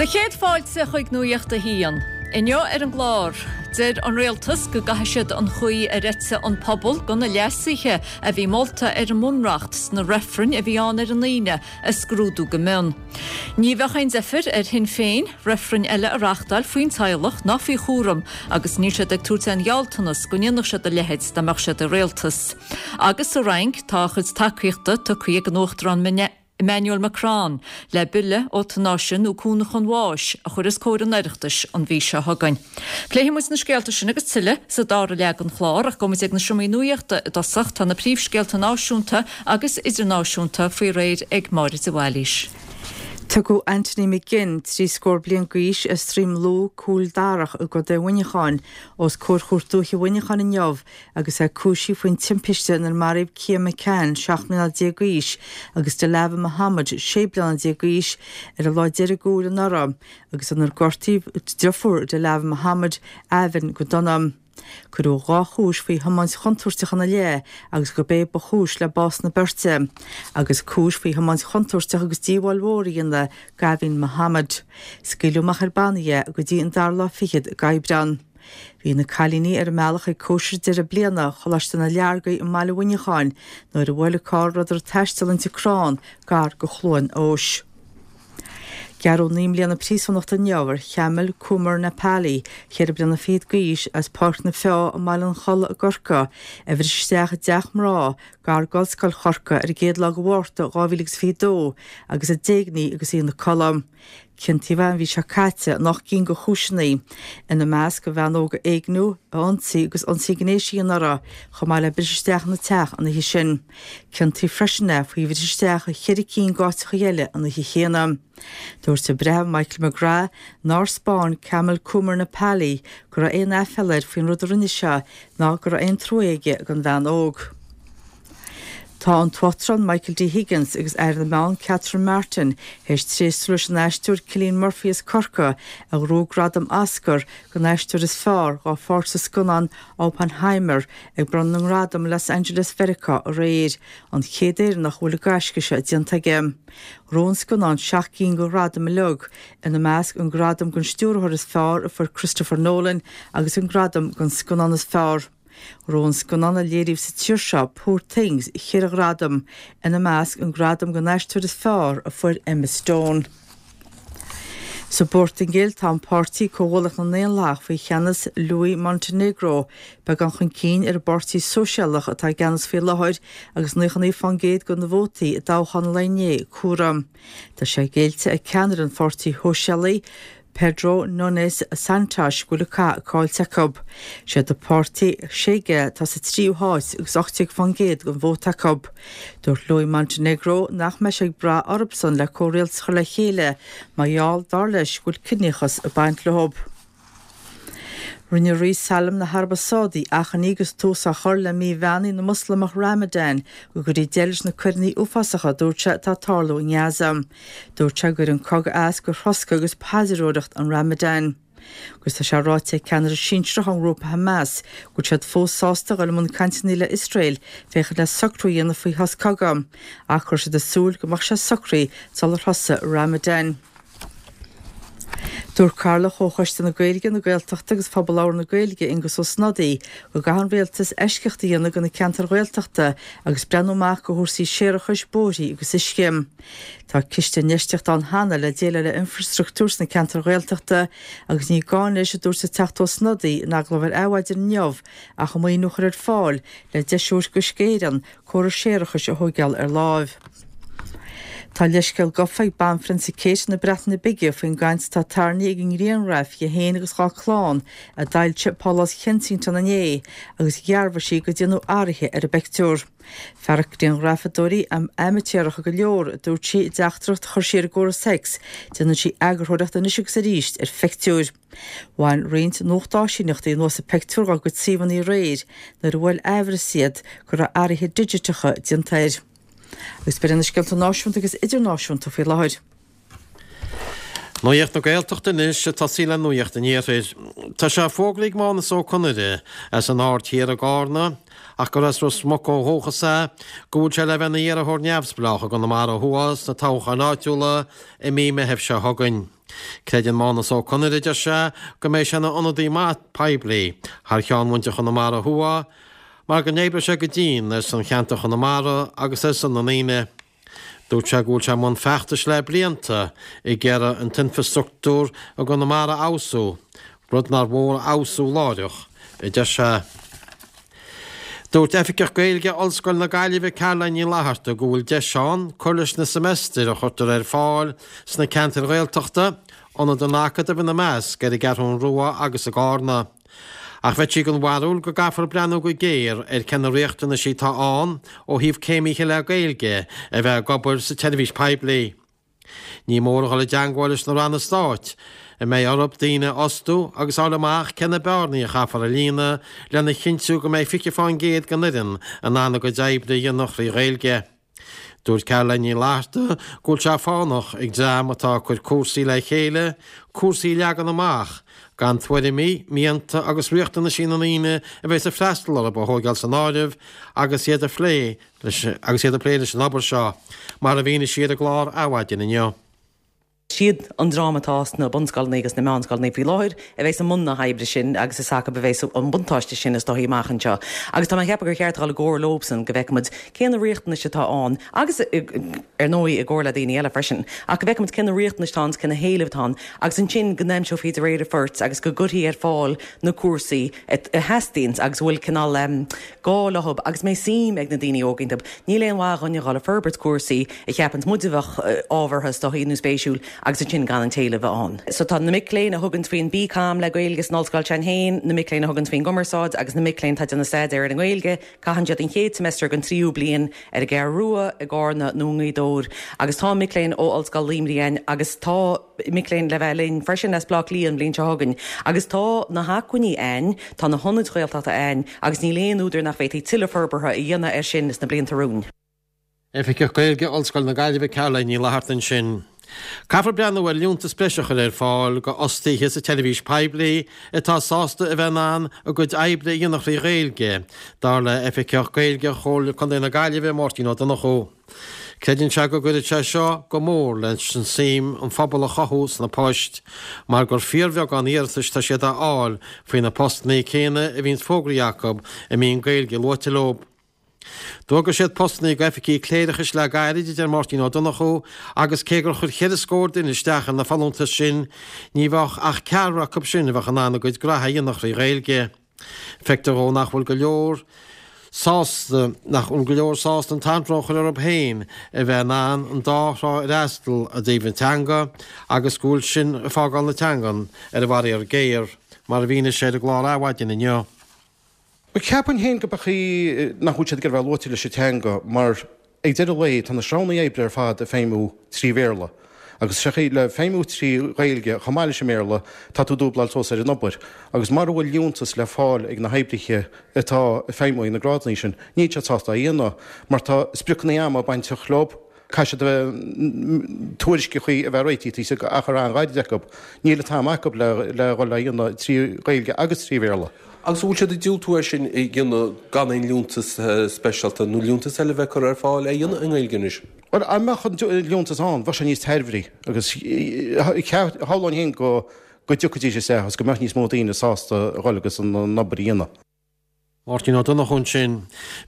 Do chéad fáilte chuig Nuacht a hAon. Inniu ar an gclár, deir an Rialtas go gcaithfidh siad an chaoi ar eitigh an pobal do na leasuithe a bhí molta ar an mBunreacht sna reifrinn a bhí ann ar an Aoine a scrúdú go mion. Ní bheadh aon deifir ar Shinn Féin reifreann eile a reachtáil faoin teaghlach ná faoi chúram agus níl siad ag tabhairt aon ghealltanas go ndéanfadh siad a leithéid dá mbeadh siad i rialtas. Agus sa Fhrainc tá a chuid tacaíochta tugtha ag an Uachtarán Emmanuel Macron le bille eotanáise nó cúnamh chun bháis a chur os comhair an Oireachtais an mhí seo chugainn. Pléifidh muid na scéalta sin agus tuilleadh sa dara leath den chlár ach gabhfaidh muid ag na seomraí nuachta i dtosach. Tá na príomhscéalta náisiúnta agus idirnáisiúnta faoi réir ag Máire de Bhailís. Tugadh Anthony McGinn, 30 scór bliain d'aois, as Droim Lú, Cúil Darach i gContae Mhuineacháin, os comhair Chúirt Dúiche Mhuineacháin inniu agus é cúisithe faoin timpiste inar maraíodh Cian McCann, 17 mbliana d'aois, agus Dilawar Mohammed, 16 bliana d'aois, ar an lá deiridh d'Iúil anuraidh, agus inar gortaíodh deirfiúr Dilawar Mohammed, Aven, go dona. Cuireadh 2 chúis faoi thiomáint chontúirteach ina leith agus gurb é ba chúis le bás na beirte, agus cúis faoi thiomáint chontúirteach agus díobháil mhór a dhéanamh d'Aven Mohammed. Scaoileadh amach ar bannaí é go dtí an dara lá fichead d'Aibreán. Bhí na cailíní ar a mbealach ag cóisir deireadh bliana Choláiste na Leargaí i mbaile Mhuineacháin nuair a bhuail an carr a rabhadar ag taisteal inti crann gar go Chluain Eois. Gearradh 9 mbliana príosúnachta inniu ar Chamal Kumar Nepali, cheithre bliana fichead d'aois, as Páirc na Feá i mBaile an Chollaigh i gCorcaigh, a bhris isteach i dteach mná gar d'Ollscoil Chorcaí ar an gcéad lá de Mhárta 2022 agus a d'éignigh í agus í ina codladh. Ciontaíodh é an mhí seo caite in 8 gcinn de chúiseanna, ina measc an bhean óg a éigniú, a ionsaí agus ionsaí gnéis a dhéanamh uirthi, chomh maith le briseadh isteach ina teach an oíche sin. Ciontaíodh freisin é faoi bhriseadh isteach i cheithre cinn d'áiteacha eile an oíche chéanna. Dúirt an Breitheamh Michael McGrath nár 'spáin Kamal Kumar Nepali go raibh aon aiféala air faoin rud a rinne sé ná go raibh aon trua aige don bhean óg. Tá an tUachtarán Michael D. Higgins agus Aire na Meán Catherine Martin théis tréaslú leis an aisteoir Cillian Murphy as Corcaigh a ghnóthaigh gradam Oscar don aisteoir is fearr dá pháirt sa scannán Oppenheimer ag bronnadh na ngradam i Los Angeles Mheiriceá aréir, an chéad Éireannach a bhfuil an gaisce seo déanta aige. Ghnóthaigh an scannán 7 gcinn de ghradaim uilig, ina measc an gradam don stiúrthóir is fearr a fuair Christopher Nolan agus an gradam don scannán is fearr. Ghnóthaigh an scannán a léiríodh sa tír seo, Poor Things, cheithre ghradam, ina measc an gradam don aisteoir is fearr a fuair Emma Stone. Sa bPortaingéil, tá an páirtí Comhghuallaíocht na nDaonlathach faoi cheannas Luís Montenegro beagán chun cinn ar an bPáirtí Sóisialach atá i gceannas faoi láthair agus 99% de na vótaí i dtoghchán an lae inné comhairthe. Tá sé géillte ag ceannaire an Pháirtí Shóisialaigh, Pedro Nunes Santos go bhfuil an cath caillte acu. Siad an páirtí Chega atá sa tríú háit agus 18% den vóta acu. Dúirt Luís Montenegro nach mbeidh sé ag brath orthusan le comhrialtas a chur le chéile mar gheall, dar leis, go bhfuil ciníochas ag baint leo. Rinne Rí Salman na hAraibe Sádaí achainí agus tús á chur le mí bheannaithe na Moslamach Ramadan go gcuirfí deireadh leis na coireanna uafásacha a dúirt sé atá ag tarlú i nGaza. Dúirt sé go gcuireann an cogadh as do throscadh agus paidreoireacht an Ramadan. Agus tá sé ráite ag ceannaire sinsearach ón ngrúpa Hamas go bhfuil siad fós sásta a dhul i mbun cainteanna le Iosrael féachaint le socrú a dhéanamh faoi shos cogaidh, ach go raibh siad ag súil go mbeadh sé socraithe sular thosaigh Ramadan. Dúirt Cathaoirleach Chomhchoiste na Gaeilge, na Gaeltachta agus Phobal Labhartha na Gaeilge, Aengus Ó Snodaigh, go gcaithfidh an Rialtas eisceacht a dhéanamh do na ceantair Ghaeltachta agus breathnú amach do chúrsaí séarachais, bóithrí agus uisce. Tá ciste infheistíochta ann cheana le déileáil le infreastruchtúr sna ceantair Ghaeltachta agus ní gá anois, a dúirt an Teachta Ó Snodaigh in agallamh ar Adhmhaidin inniu, ach an maoiniú a chur ar fáil le deis a thabhairt d'Uisce Éireann córas séarachais a thóigeáil ar láimh. Tá leithscéal gafa ag Banphrionsa Kate na Breataine Bige faoin gcaint atá tarraingthe ag an ngrianghraf di féin agus dhá clann a d'fhoilsigh Pálás Kensington inné agus dhearbhaigh sí gur déanadh athruithe ar an bpeictiúr. Fearacht grianghrafadóirí amaitéaracha go leor, a dúirt sí i dteachtaireacht a chuir sí ar an gcóras X, déanann sí eagarthóireacht anois agus arís ar phictiúir. Bhain roinnt nuachtáisíneachtaí anuas an pictiúr dá gcuid suíomhanna aréir nuair a bhuail aimhreas iad go raibh athruithe digiteacha déanta air. Agus b'in iad na scéalta náisiúnta agus idirnáisiúnta faoi láthair. Nuacht na Gaeltachta anois, ag tosaí le Nuacht an Iarthair. Tá sé fógraithe ag Mánus Ó Conaire as an Aird Thiar i gCarna, ach gur as Ros Muc ó dhúchas é, go bhfuil sé le bheith ina iarrthóir neamhspleách i gConamara Thuaidh sna toghcháin áitiúla i mí Meithimh seo chugainn. Creideann Mánus Ó Conaire, a deir sé, go mbeidh sé ina ionadaí maith poiblí thar cheann mhuintir Chonamara Thuaidh mar go n-oibreoidh sé go dian ar son cheantar Chonamara agus ar son na ndaoine. Dúirt sé go bhfuil sé i mbun feachtais le blianta ag iarraidh an t-infreastruchtúr i gConamara a fheabhsú, rud nár mhór a fheabhsú láithreach, a deir sé. Dúirt Oifigeach Gaeilge Ollscoil na Gaillimhe Caroline Ní Fhlatharta go bhfuil deis ann cur leis na seimeastair a chuirtear ar fáil sna ceantair Ghaeltachta, ionad an Acadaimh ina measc, ar an gCeathrún Rua agus i gCarna. Ach bheadh sí den bharúil go gcaithfear breathnú go géar ar cé na riachtanaisí atá ann ó thaobh céimithe le Gaeilge a bheith ag obair sa tseirbhís poiblí. Ní mór a dhul i dteangmháil leis na ranna stáit a mbeidh orthu daoine a fhostú agus fháil amach cé na bearnaí a chaithfear a líonadh lena chinntiú go mbeidh 20% den fhoireann in ann a gcuid oibre a dhéanamh thrí Ghaeilge. Dúirt Caroline Ní Fhlatharta go bhfuil sé fánach ag dream atá ag cur cúrsaí le chéile, cúrsaí a leagan amach, gan tuairimí, mianta agus riachtanaisí na ndaoine a bheas ag freastal orthu a thóigeáil san áireamh agus iad ag plé leis agus iad ag plé leis an obair seo, mar a mhínigh sí ar an gclár Adhmhaidin inniu. Siad an dream atá sna bunscoileanna agus sna meánscoileanna faoi láthair a bheas i mbun na hoibre sin agus is acu a bheas an buntáiste sin is dóichí amach anseo. Agus tá mé ag ceapadh gur cheart a dhul i gcomhar leobsan go bhfeicfidh muid cé na riachtanais atá ann agus ar ndóigh i gcomhar le daoine eile freisin ach go bhfeicfidh muid cé na riachtanais atá ann is cé na héilimh atá ann agus ansin go n-aimseofaí de réir an phoirt agus go gcuirfí ar fáil na cúrsaí a theastaíonns agus a bhfuil cineál gá leothab agus mbeidh suim ag na daoine óga iontu. Níl aon mhaith dhúinn a dhul ag forbairt cúrsaí a cheapanns muid a bheadh ábhartha is dóichí nó spéisiúil agus ansin gan an t-éileamh a bheith ann. So tá na mic léinn a thuganns faoin BComm le Gaeilge san ollscoil s'againn féin, na mic léinn a thuganns faoin gcumarsáid agus na mic léinn atá ag déanamh staidéar ar an nGaeilge, caitheann siad an chéad semester den tríú bliain ar an gCeathrú Rua, i gCarna nó i nGaoth Dobhair agus tá mic léinn ó Ollscoil Luimnigh ann agus tá mic léinn le bheith linn freisin as Bleá Cliath an bhliain seo chugainn agus tá na hacmhainní ann, tá na hionaid Ghaeltachta ann agus níl aon údar nach bhféadfaí tuilleadh forbartha a dhéanamh air sin sna blianta romhainn. Oifigeach Gaeilge Ollscoil na Gaillimhe Caroline Ní Fhlatharta ansin. Caithfear breathnú ar liúntas breise a chur ar fáil go fhostaithe sa tseirbhís poiblí atá sásta a bheith in ann a gcuid oibre a dhéanamh thrí Ghaeilge, dar le Oifigeach Gaeilge Chomhairle Contae na Gaillimhe, Máirtín Ó Donnchú. Creideann sé go gcuirfeadh sé seo go mór leis an suim an phobal a chothú sna poist, mar gur fíorbheagán iarratais tá siad a fháil faoi na postanna céanna a bhíonns fógraithe acu a mbíonn Gaeilge luaite leo. D'fhógair siad postanna go oifigí cléireachais le gairid, a deir Máirtín Ó Donnchú, agus cé gur chuir cheithre scór duine isteach ar na folúntais sin, ní bheadh ach ceathrar acu sin a bheadh in ann a gcuid graithe a dhéanamh thrí Ghaeilge. Feictear dhó nach bhfuil go leor sásta nach bhfuil go leor sásta an t-anró a chur orthu féin a bheith in ann an dá thrá a fhreastal i dtaobh na teanga agus go bhfuil sin ag fágáil na teangan ar an bhfaraor géar, mar a mhínigh sé ar an gclár Adhmhaidin inniu. Bhuel, ceapaim féin go b'é chaoi nach bhfuil siad ag iarraidh a bheith luaite leis an teanga mar ag deireadh lae tá na sreabhanna oibre ar fad ag feidhmiú trí Bhéarla agus sé chaoi le feidhmiú trí Ghaeilge chomh maith leis an mBéarla tá tú dúbláil suas ar an obair agus mara bhfuil liúntas le fáil ag na hoibrithe atá ag feidhmiú ag na grádanna sin níl siad sásta é a dhéanamh mar tá spriocanna ama bainteach leo. Caithfidh siad a bheith, tuairisceachaí a bheith réitithe taobh istigh achar an-ghairid acu. Níl an t-am acu le dhul á dhéanamh trí Ghaeilge agus trí Bhéarla. Agus an bhfuil siad ag diúltú é sin a dhéanamh gan aon liúntas speisialta nó liúntas eile a bheith curtha ar fáil é a dhéanamh i nGaeilge anois? Bhuel, dá mbeadh an liúntas ann, bheadh sé níos tairbhí agus shamhlóinn féin go dtiocfaidís isteach agus go mbeadh níos mó daoine sásta a dhul agus an obair a dhéanamh. Máirtín Ó Donnchú ansin.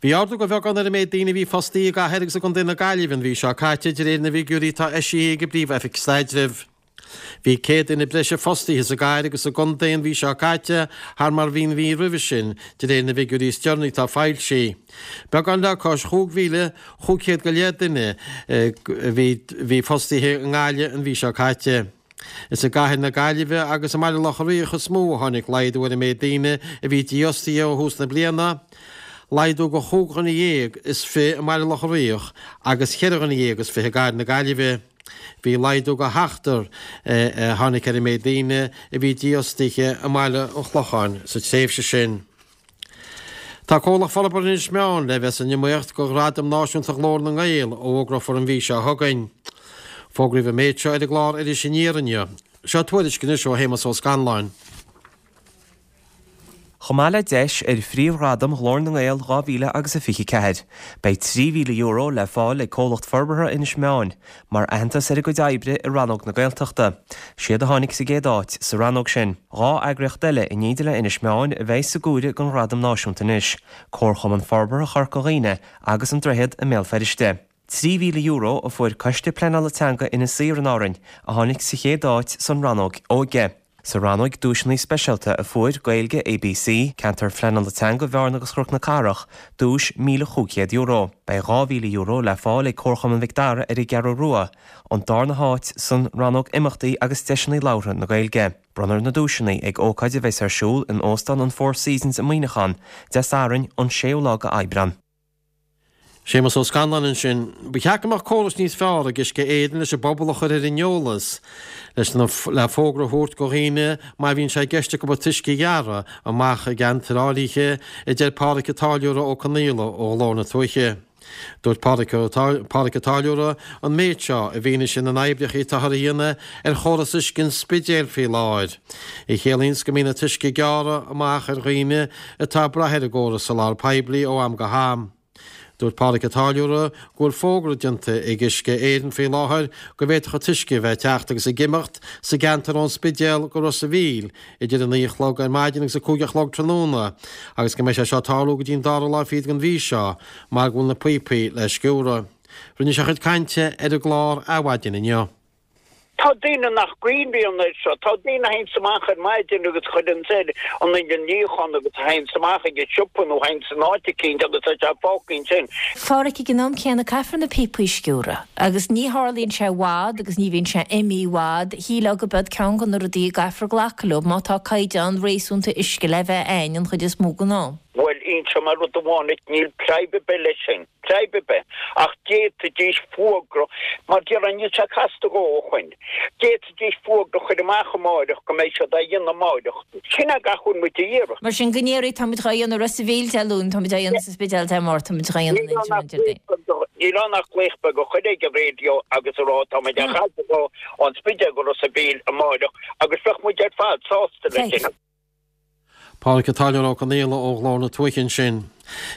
Bhí ardú de bheagán ar an méid daoine a bhí fostaithe i gcathair agus i gcontae na Gaillimhe an mhí seo caite, de réir na bhfigiúirí atá eisithe ag an bPríomh-Oifig Staidrimh. Bhí 100 duine breise fostaithe sa gcathair agus sa gcontae an mhí seo caite thar mar a bhí an mhí roimhe sin, de réir na bhfigiúirí is deireanaí atá foilsithe. Beagán le cois 5,500 go leith duine a bhí fostaithe i nGaillimh an mhí seo caite. Is i gcathair na Gaillimhe agus i mBaile Locha Riach is mó a tháinig laghdú ar an méid daoine a bhí dífhostaithe ó thús na bliana, laghdú de chúig dhuine dhéag is fi i mBaile Locha Riach agus cheithre dhuine dhéag is fi i gcathair na Gaillimhe. Bhí laghdú de sheachtar a tháinig ar an méid daoine a bhí dífhostaithe i mBaile an Chlocháin sa tréimhse sin. Tá Comhlacht Forbartha Inis Meáin le bheith san iomaíocht do Ghradam Náisiúnta Ghlór na nGael a fhógrófar an mhí seo chugainn. Fógraíodh an méid seo ar an gclár Iris Aniar inniu. Seo tuairisc anois ó Shéamus Ó Scanláin. Chomh maith le deis ar phríomhghradam Ghlór na nGael 2000 agus a 24, beidh €3,000 le fáil ag Comhlacht Forbartha Inis Meáin mar aitheantas ar a gcuid oibre i rannóg na Gaeltachta. Siad a tháinig sa gcéad áit sa rannóg sin. 2 eagraíocht eile in éindí le Inis Meáin a bheidh sa gcomhaireamh don ghradam náisiúnta anois, Comharchumann Forbartha Chorca Dhuibhne agus An Droichead i mBéal Feirste. €3,000 a fuair Coiste Pleanála Teanga Inis Oírr in Árainn, a tháinig sa chéad áit san rannóg óige. Sa rannóg duaiseanna speisialta a fuair Gaeilge ABC, Ceantar Phleanála Teanga Bhearna agus Chnoc na Cathrach, duais €1,500. Beidh €2,000 le fáil ag Comharchumann Mhic Dara ar an gCeathrú Rua, an darna háit san rannóg Imeachtaí agus Deiseanna Labhartha na Gaeilge. Bronnfar na duaiseanna ag ócáid a bheas ar siúl in Óstán an Four Seasons i Muineachán, Dé Sathairn, an 6ú lá de Aibreán. Séamus Ó Scanláin ansin. Ba cheart go mbeadh córas níos fearr ag Uisce Éireann leis an bpobal a chur ar an eolas, leis na, le fógra a thabhairt go dhaoine má bhíonn sé i gceist acu an t-uisce a ghearradh amach i gceantair áirithe, a deir Pádraic an Táilliúra Ó Conaola ó Ghlór na Tuaithe. Dúirt Pádraic Ó Pádraic an Táilliúra an méid seo i bhfianaise na n-oibreacha atáthar a dhéanamh ar chóras uisce an Spidéil faoi láthair, a chiallaíonns go mbíonn an t-uisce ag gearradh amach ar dhaoine atá ag brath ar an gcóras soláthair poiblí ó am go ham. Dúirt Pádraic an Táilliúra go bhfuil fógra déanta ag Uisce Éireann faoi láthair go bhféadfadh an t-uisce a bheith ag teacht agus ag imeacht sa gceantar ón Spidéal go Ros a' Mhíl idir 9 a chlog ar maidin agus 5 a chlog tráthnóna agus go mbeidh sé seo ag tarlú go dtí an dara lá fichead den mhí seo mar go bhfuil na píopaí le sciúradh. Rinne sé a chuid cainte ar an gclár Adhmhaidin inniu. Tá daoine nach gcuimhníonn air seo. Tá daoine a théanns amach ar maidin agus a chuireanns ar an ingean níocháin agus a théanns amach ag an siopa nó a théanns in áit eicínt agus tá sé fágtha ansin. Phádraic, ag an am céanna caithfear na píopaí a sciúradh agus ní tharlaíonn sé i bhfad agus ní bhíonn sé imithe i bhfad. Shílfeá go b'iod ceann de na rudaí a gcaithfear glacadh leo má tá caighdeán réasúnta uisce le bheith a'inn an chuid is mó den am. Bhuel, inseoidh mé rud amháin duit, níl preib ar bith leis sin. Preib ar bith. Ach d'fhéadfaidís fuagra, mar déarfainn, níl sé casta a dhóthain. D'fhéadfaidís fuagra a chur amach amáireach go mbeidh siad á dhéanamh amáireach. Sin é gach a bhfuil muid a iarraidh. Mar sin, go ndéarfaí, tá muid dhá dhéanamh i Ros a' Mhíl Dé Luain, tá muid á dhéanamh sa Spidéal Dé Máirt, tá muid dhá dhéanamh in Inse Déardaoin. Níl ann ach glaoch beag a chur ag an raidió agus a rá tá muid á chaitheamh ón Spidéal go Ros a' Mhíl amáireach agus bheadh muid ar fad sásta leis sin. Pádraic an Táilliúra Ó Conaola ó Ghlór na Tuaithe ansin.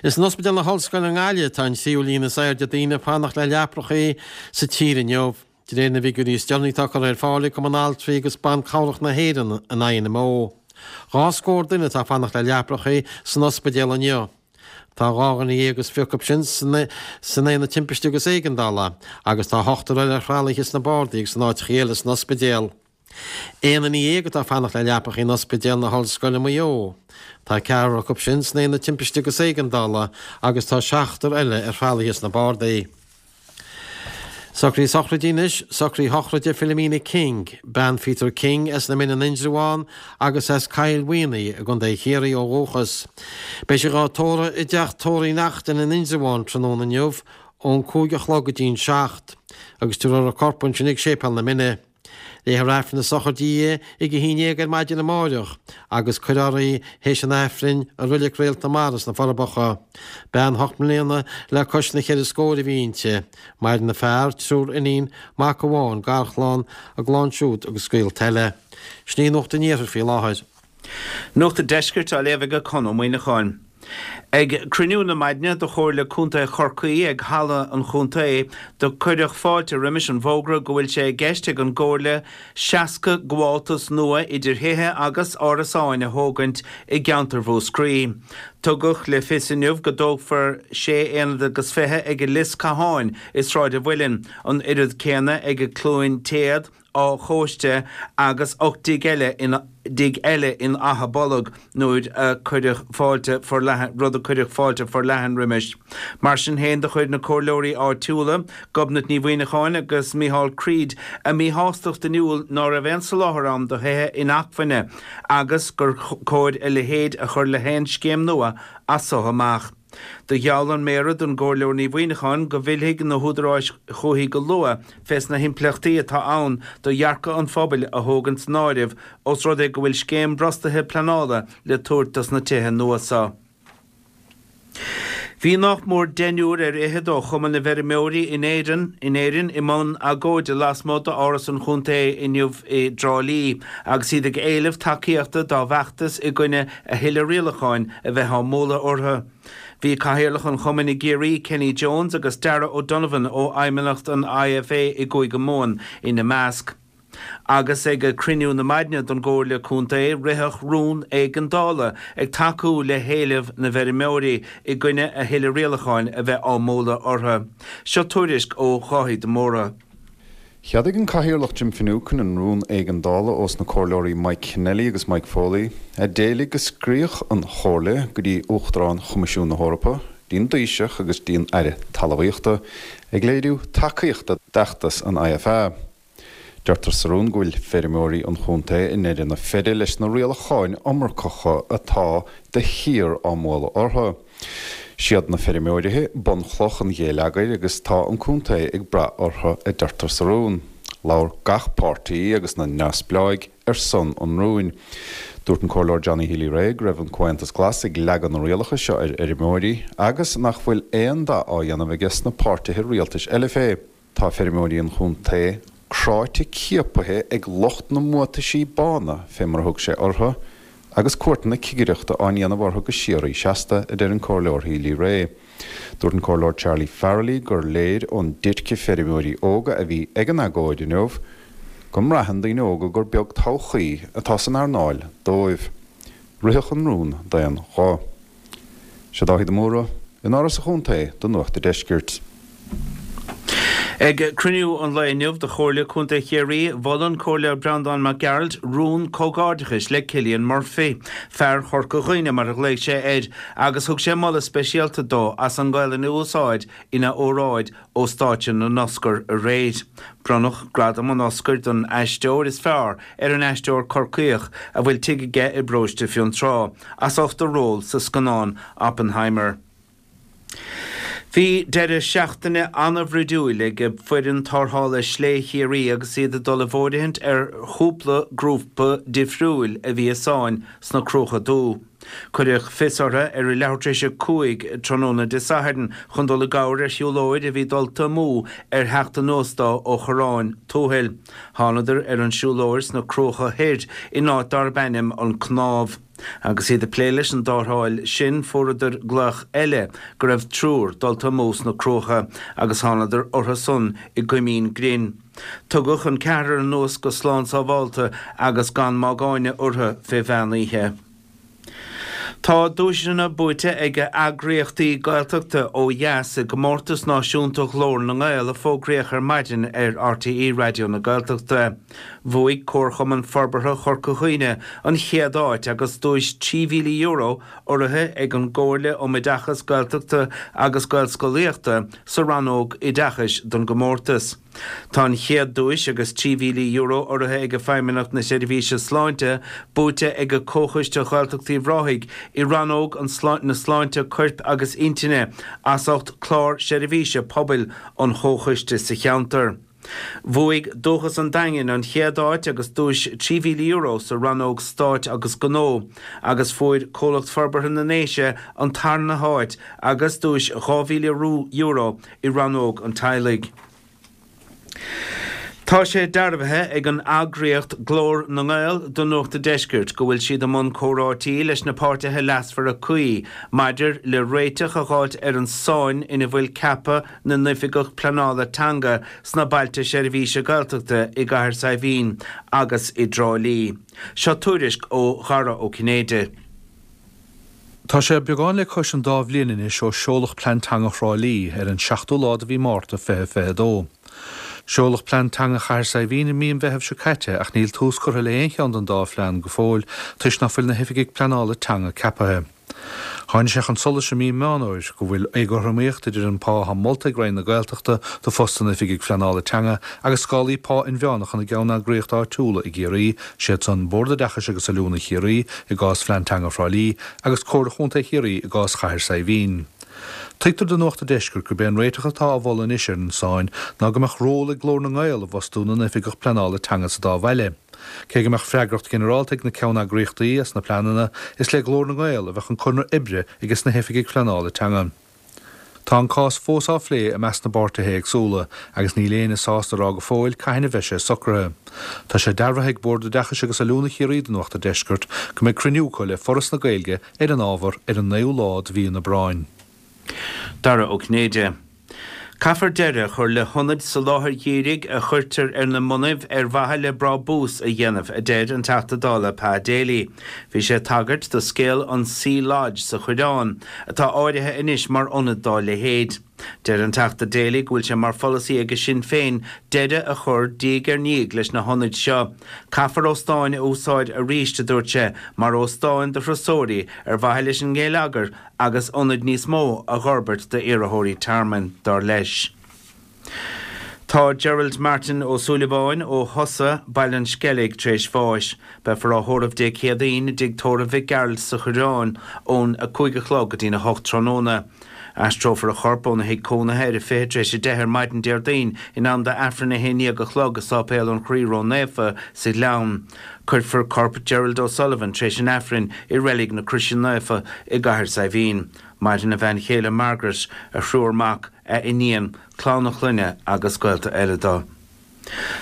Is in Ospidéal na hOllscoile i nGaillimh atá an tríú líon is airde daoine ag fanacht le leaprachaí sa tír inniu, de réir na bhfigiúirí is deireanaí atá curtha ar fáil ag Cumann Altraí agus Ban Cabhrach na hÉireann, an INMO. 20 scór duine atá ag fanacht le leaprachaí san ospidéal inniu. Tá 12 dhuine acu sin san aonad timpiste agus éigeandála agus tá ochtar eile ar thralaithe sna bardaí agus in áiteachaí eile san ospidéal. Aon duine dhéag atá ag fanacht le leapacha in Ospidéal na hOllscoile Maigh Eo. Tá ceathrar acu sin san Aonad Timpiste agus Éigeandála agus tá seachtar eile ar thralaithe sna bardaí. Socruithe sochraide anois, socruithe sochraide Philomena King, bean Pheter King as na Mine in Indreabhán agus as Cill Mhaonaigh i gContae Chiarraí ó dhúchas. Beidh sí dhá tórramh i dteach tórraimh Uí Neachtain in Indreabhán tráthnóna inniu ón 5 a chlog go dtí'n 7 agus tabharfar a corp ansin ag Séipéal na Mine. Léifear Aifreann na sochraide di ag a haon dhéag ar maidin amáireach agus cuirfear í théis an Aifrinn i Roilig Réalt na Marbh sna Forbacha. Bean hocht mbliana le cois na cheithre scóir a bhí inti. Maireann a fear, triúr iníon, mac amháin, garchlann, a gclann siúd agus gaolta eile. Sin í Nuacht an Iarthair faoi láthair. Nuacht an Deiscirt á léamh ag Conn Ó Muíneacháin. Ag cruinniú na maidne do Chomhairle Contae Chorcaí ag Halla an Chontae do cuireadh fáilte roimis an bhfógra go bhfuil sé i gceist ag an gComhairle 60 gabháltas nua idir thithe agus árasáin a thógaint i gceantar Mhúscraí. Tugadh le fios inniu go dtógfar sé aonad agus 20 ag an Lios Catháin i Sráid an Mhuilinn, an oiread céanna ag an Cluain Téad, Áth Chóiste agus 8 dtigh eile in dtigh eile in Achadh Bolg nuair a cuireadh fáilte forleathan rud a cuireadh fáilte forleathan roimis. Mar sin féin do chuir na comhairleoirí áitiúla, Gobnait Ní Mhuineacháin agus Micheál Creed, a míshástacht in iúl ná raibh aon soláthar ann do thithe inacmhainne agus gur cóir a leithéid a chur le haon scéim nua as so amach. Do gheall an Méara don gComhairleoir Ní Mhuineacháin go bhfillfidh na húdaráis chúithi go luath fés na himpleachtaí atá ann do dhearcadh an phobail a thógaint san áireamh os rud é go bhfuil scéim bhrostaithe pleanála le tabhairt dos na tithe nua so. Bhí nách mór deichniúr ar fhichead ó Chumann na bhFeirmeoirí in Éirinn in Éirinn i mbun agóide lasmuigh d'Áras an Chontae inniu i dTrá Lí agus iad ag éileamh tacaíochta dá bhfeachtas i gcoinne a thuilleadh rialacháin a bheith á mbualadh orthu. Bhí Cathaoirleach an Chumainn i gCiarraí, Kenny Jones agus Darragh O'Donovan ó Fheidhmeannacht an IFA i gCúige Mumhan ina measc. Agus ag cruinniú na maidne don gComhairle Contae ritheadh rún éigeandála ag tacú le héileamh na bhfeirmeoirí i gcoinne a thuilleadh rialacháin a bheith á mbualadh orthu. Seo tuairisc ó Dháithí de Mórdha. Cheadaigh an Cathaoirleach Jim Finucane an rún éigeandála ós na Comhairleoirí Mike Kennelly agus Mike Foley, a d'éiligh go scríobhadh an Chomhairle go dtí Uachtarán Choimisiún na hEorpa, dtí an Taoiseach agus dtí an Aire Talmhaíochta, ag léiriú tacaíochta d'fheachtas an IFA. Deirtear sa rún go bhfuil feirmeoirí an chontae i ndeireadh na feire leis na rialacháin iomarcacha atá de shíor á mbualadh orthu. Siad na feirmeoirithe bunchloch an ghéilleagair agus tá an contae ag brath orthu, a deirtear sa rún. Labhair gach páirtí agus na neamhspleáigh ar son an rúin. Dúirt an Comhairleoir Johnny Healy-Rae go raibh an Comhaontas Glas ag leagadh na rialacha seo ar fheirmeoirí agus nach bhfuil aon dath á dhéanamh aige sna páirtithe rialtais eile fé. Tá feirmeoirí an chontae cráite ciapaithe ag lucht na mbuataisí bána, fé mar a thug sé orthu, agus cuairteanna cigireachta á ndéanamh orthu go síoraí seasta, a deir an Comhairleoir Healy-Rae. Dúirt an Comhairleoir Charlie Farrelly gur léir ón déirce feirmeoirí óga a bhí ag an agóid inniu go mbraitheann daoine óga gur beag todhchaí atá san earnáil dóibh. Ritheadh an rún d'aon ghuth. Sé Dáithí de Mórdha, in Áras an Chontae do Nuacht a' Deiscirt. Ag cruinniú an lae inniu de Chomhairle Contae Chiarraí, mhol an Comhairleoir Breandán Mac Gearailt rún comhghairdeachais le Cillian Murphy, fear Chorca Dhuibhne mar a ghlaoigh sé air, agus thug sé moladh speisialta dó as an nGaelainn a úsáid ina óráid ó stáitse na nOscar aréir. Bronnadh gradam an Oscair don aisteoir is fearr ar an aisteoir Corcaíoch, a bhfuil tigh aige i bparóiste Fionntrá, as ucht a ról sa scannán Oppenheimer. Bhí deireadh seachtaine an-bhruidiúil ag foireann tarrthála Slé Chiarraí agus iad ag dul i bhfóirithint ar chúpla grúpa difriúil a bhí i sáinn sna Cruacha Dubha. Cuireadh fios orthu ar a leathuair tar éis 5 tráthnóna Dé Sathairn chun dul i gcabhair ar shiúlóir a bhí dulta amú ar theacht anuas dó ó Chorrán Tuathail. Thánadar ar an siúlóir sna Cruacha Thoir in áit darb ainm An Cnámh. Agus iad ag plé leis an dtarrtháil sin fuaireadar glaoch eile go raibh triúr dulta amú sna Cruacha agus thánadar orthu san i gCoimín Grinn. Tugadh an ceathrar anuas go slán sábhálta agus gan mágáine orthu fé mheán oíche. Tá duaiseanna buaite ag eagraíochtaí Gaeltachta ó dheas i gcomórtas náisiúnta Ghlór na nGael a fógraíodh ar maidin ar RTÉ Raidió na Gaeltachta. Bhuaigh Comharchumann Forbartha Chorca Dhuibhne an chéad áit agus duais €3,000 urraithe ag an gComhairle um Oideachas Gaeltachta agus Gaelscolaíochta sa rannóg Oideachais don gcomórtas. Tá an chéad duais agus €3,000 urraithe ag Feidhmeannacht na Seirbhíse Sláinte buaite ag Comhchoiste Ghaeltacht Uíbh Ráthaigh i rannóg an na Sláinte Coirp agus Intinne as ucht clár seirbhíse pobail an Chomhchoiste sa cheantar. Bhuaigh Dúchas an Daingin an chéad áit agus duais €3,000 sa rannóg Stáit agus Gnó agus fuair Comhlacht Forbartha na nDéise an tarna háit agus duais €2,000 i rannóg an teaghlaigh. Tá sé dearbhaithe ag an eagraíocht Glór na nGael do Nuacht a' Deiscirt go bhfuil siad i mbun comhráití leis na páirtithe leasmhara cuí maidir le réiteach a dh'fháilt ar an sáinn ina bhfuil ceapadh na n-oifigeach pleanála teanga sna bailte seirbhíse Gaeltachta i gCathair Saidhbhín agus i dTrá Lí. Seo tuairisc ó Dhara Ó Cinnéide. Tá sé beagán le cois an dá bhliain anois ó seoladh Plean Teanga Thrá Lí ar an seachtú lá de mhí Márta 2022. Seoladh Plean Teanga Chathair Saidhbhín i mí an Mheithimh seo caite ach níl tús curtha le haon cheann den dá phlean go fóill toisc nach bhfuil na hoifigigh pleanála teanga ceapaithe. Tháinig sé chun solais i mí Meán Fhómhair go bhfuil éagothromaíocht idir an pá atá molta ag Roinn na Gaeltachta do phost an Oifigigh Phleanála Teanga agus scálaí pá inmheánacha na gceanneagraíocht áitiúla i gCiarraí, siad san, Bord Oideachais agus Oiliúna Chiarraí i gcás Phlean Teanga Thrá Lí agus Comhairle Chontae Chiarraí i gcás Chathair Saidhbhín. Tuigtear do Nuacht an Deiscirt gurb é an réiteach atá á mholadh anois ar an sáinn ná go mbeadh ról ag Glór na nGael i bhfostú na n-oifigeach pleanála teanga sa dá bhaile. Cé go mbeadh freagracht ghinearálta ag na ceanneagraíochtaí as na pleananna, is le Glór na nGael a bheadh an conradh oibre ages na hoifigigh phleanála teanga. Tá an cás fós á phlé i measc na bpáirtithe éagsúla agus níl éinne sásta a rá go fóill cathain a bheidh sé socraithe. Tá sé dearbhaithe ag Bord Oideachais agus Oiliúna Chiarraí do Nuacht an Deiscirt go mbeidh cruinniú acu le Foras na Gaeilge ar an ábhar ar an naoú lá de mhí an Aibreáin. Dara Ó Cinnéide. Caithfear deireadh a chur le hionaid soláthair dhírigh a chuirtear ar na bonnaibh ar mhaithe le brábús a dhéanamh, a deir an Teachta Dála Pa Daly. Bhí sé ag tagairt do scéal an Sea Lodge sa Choireán, atá áirithe anois mar ionad dá leithéid. Deir an Teachta Daly go bhfuil sé mar pholasaí aige Sinn Féin deireadh a chur diaidh ar ndiaidh leis na hionaid seo. Caithfear óstáin a úsáid arís, a dúirt sé, mar óstáin do thurasóirí ar mhaithe leis an ngeilleagar agus ionaid níos mó a dh'fhorbairt d'iarrthóirí tearmainn, dar leis. Tá Gerald Martin Ó Súilleabháin ó Thusa, Baile an Sceilg, tar éis bháis. Beifear á thórramh Dé Céadaoin i dTigh Tórraimh Mhic Gearailt sa Choireán ón 5 a chlog go dtí'n 8 tráthnóna. Aistreofar a chorp óna thigh cónaithe ar a 10:40 ar maidin Déardaoin in am d'Aifreann 11 a chlog i Sáipéal an Chroí Ró-Naofa sa Ghleann. Cuirfear corp Gerald O'Sullivan tar éis an Aifrinn i Reilig na Croise Naofa i gCathair Saidhbhín. Maireann a bhean chéile Margaret, a thriúr mac, a iníon, clann a chlainne agus gaolta eile dó.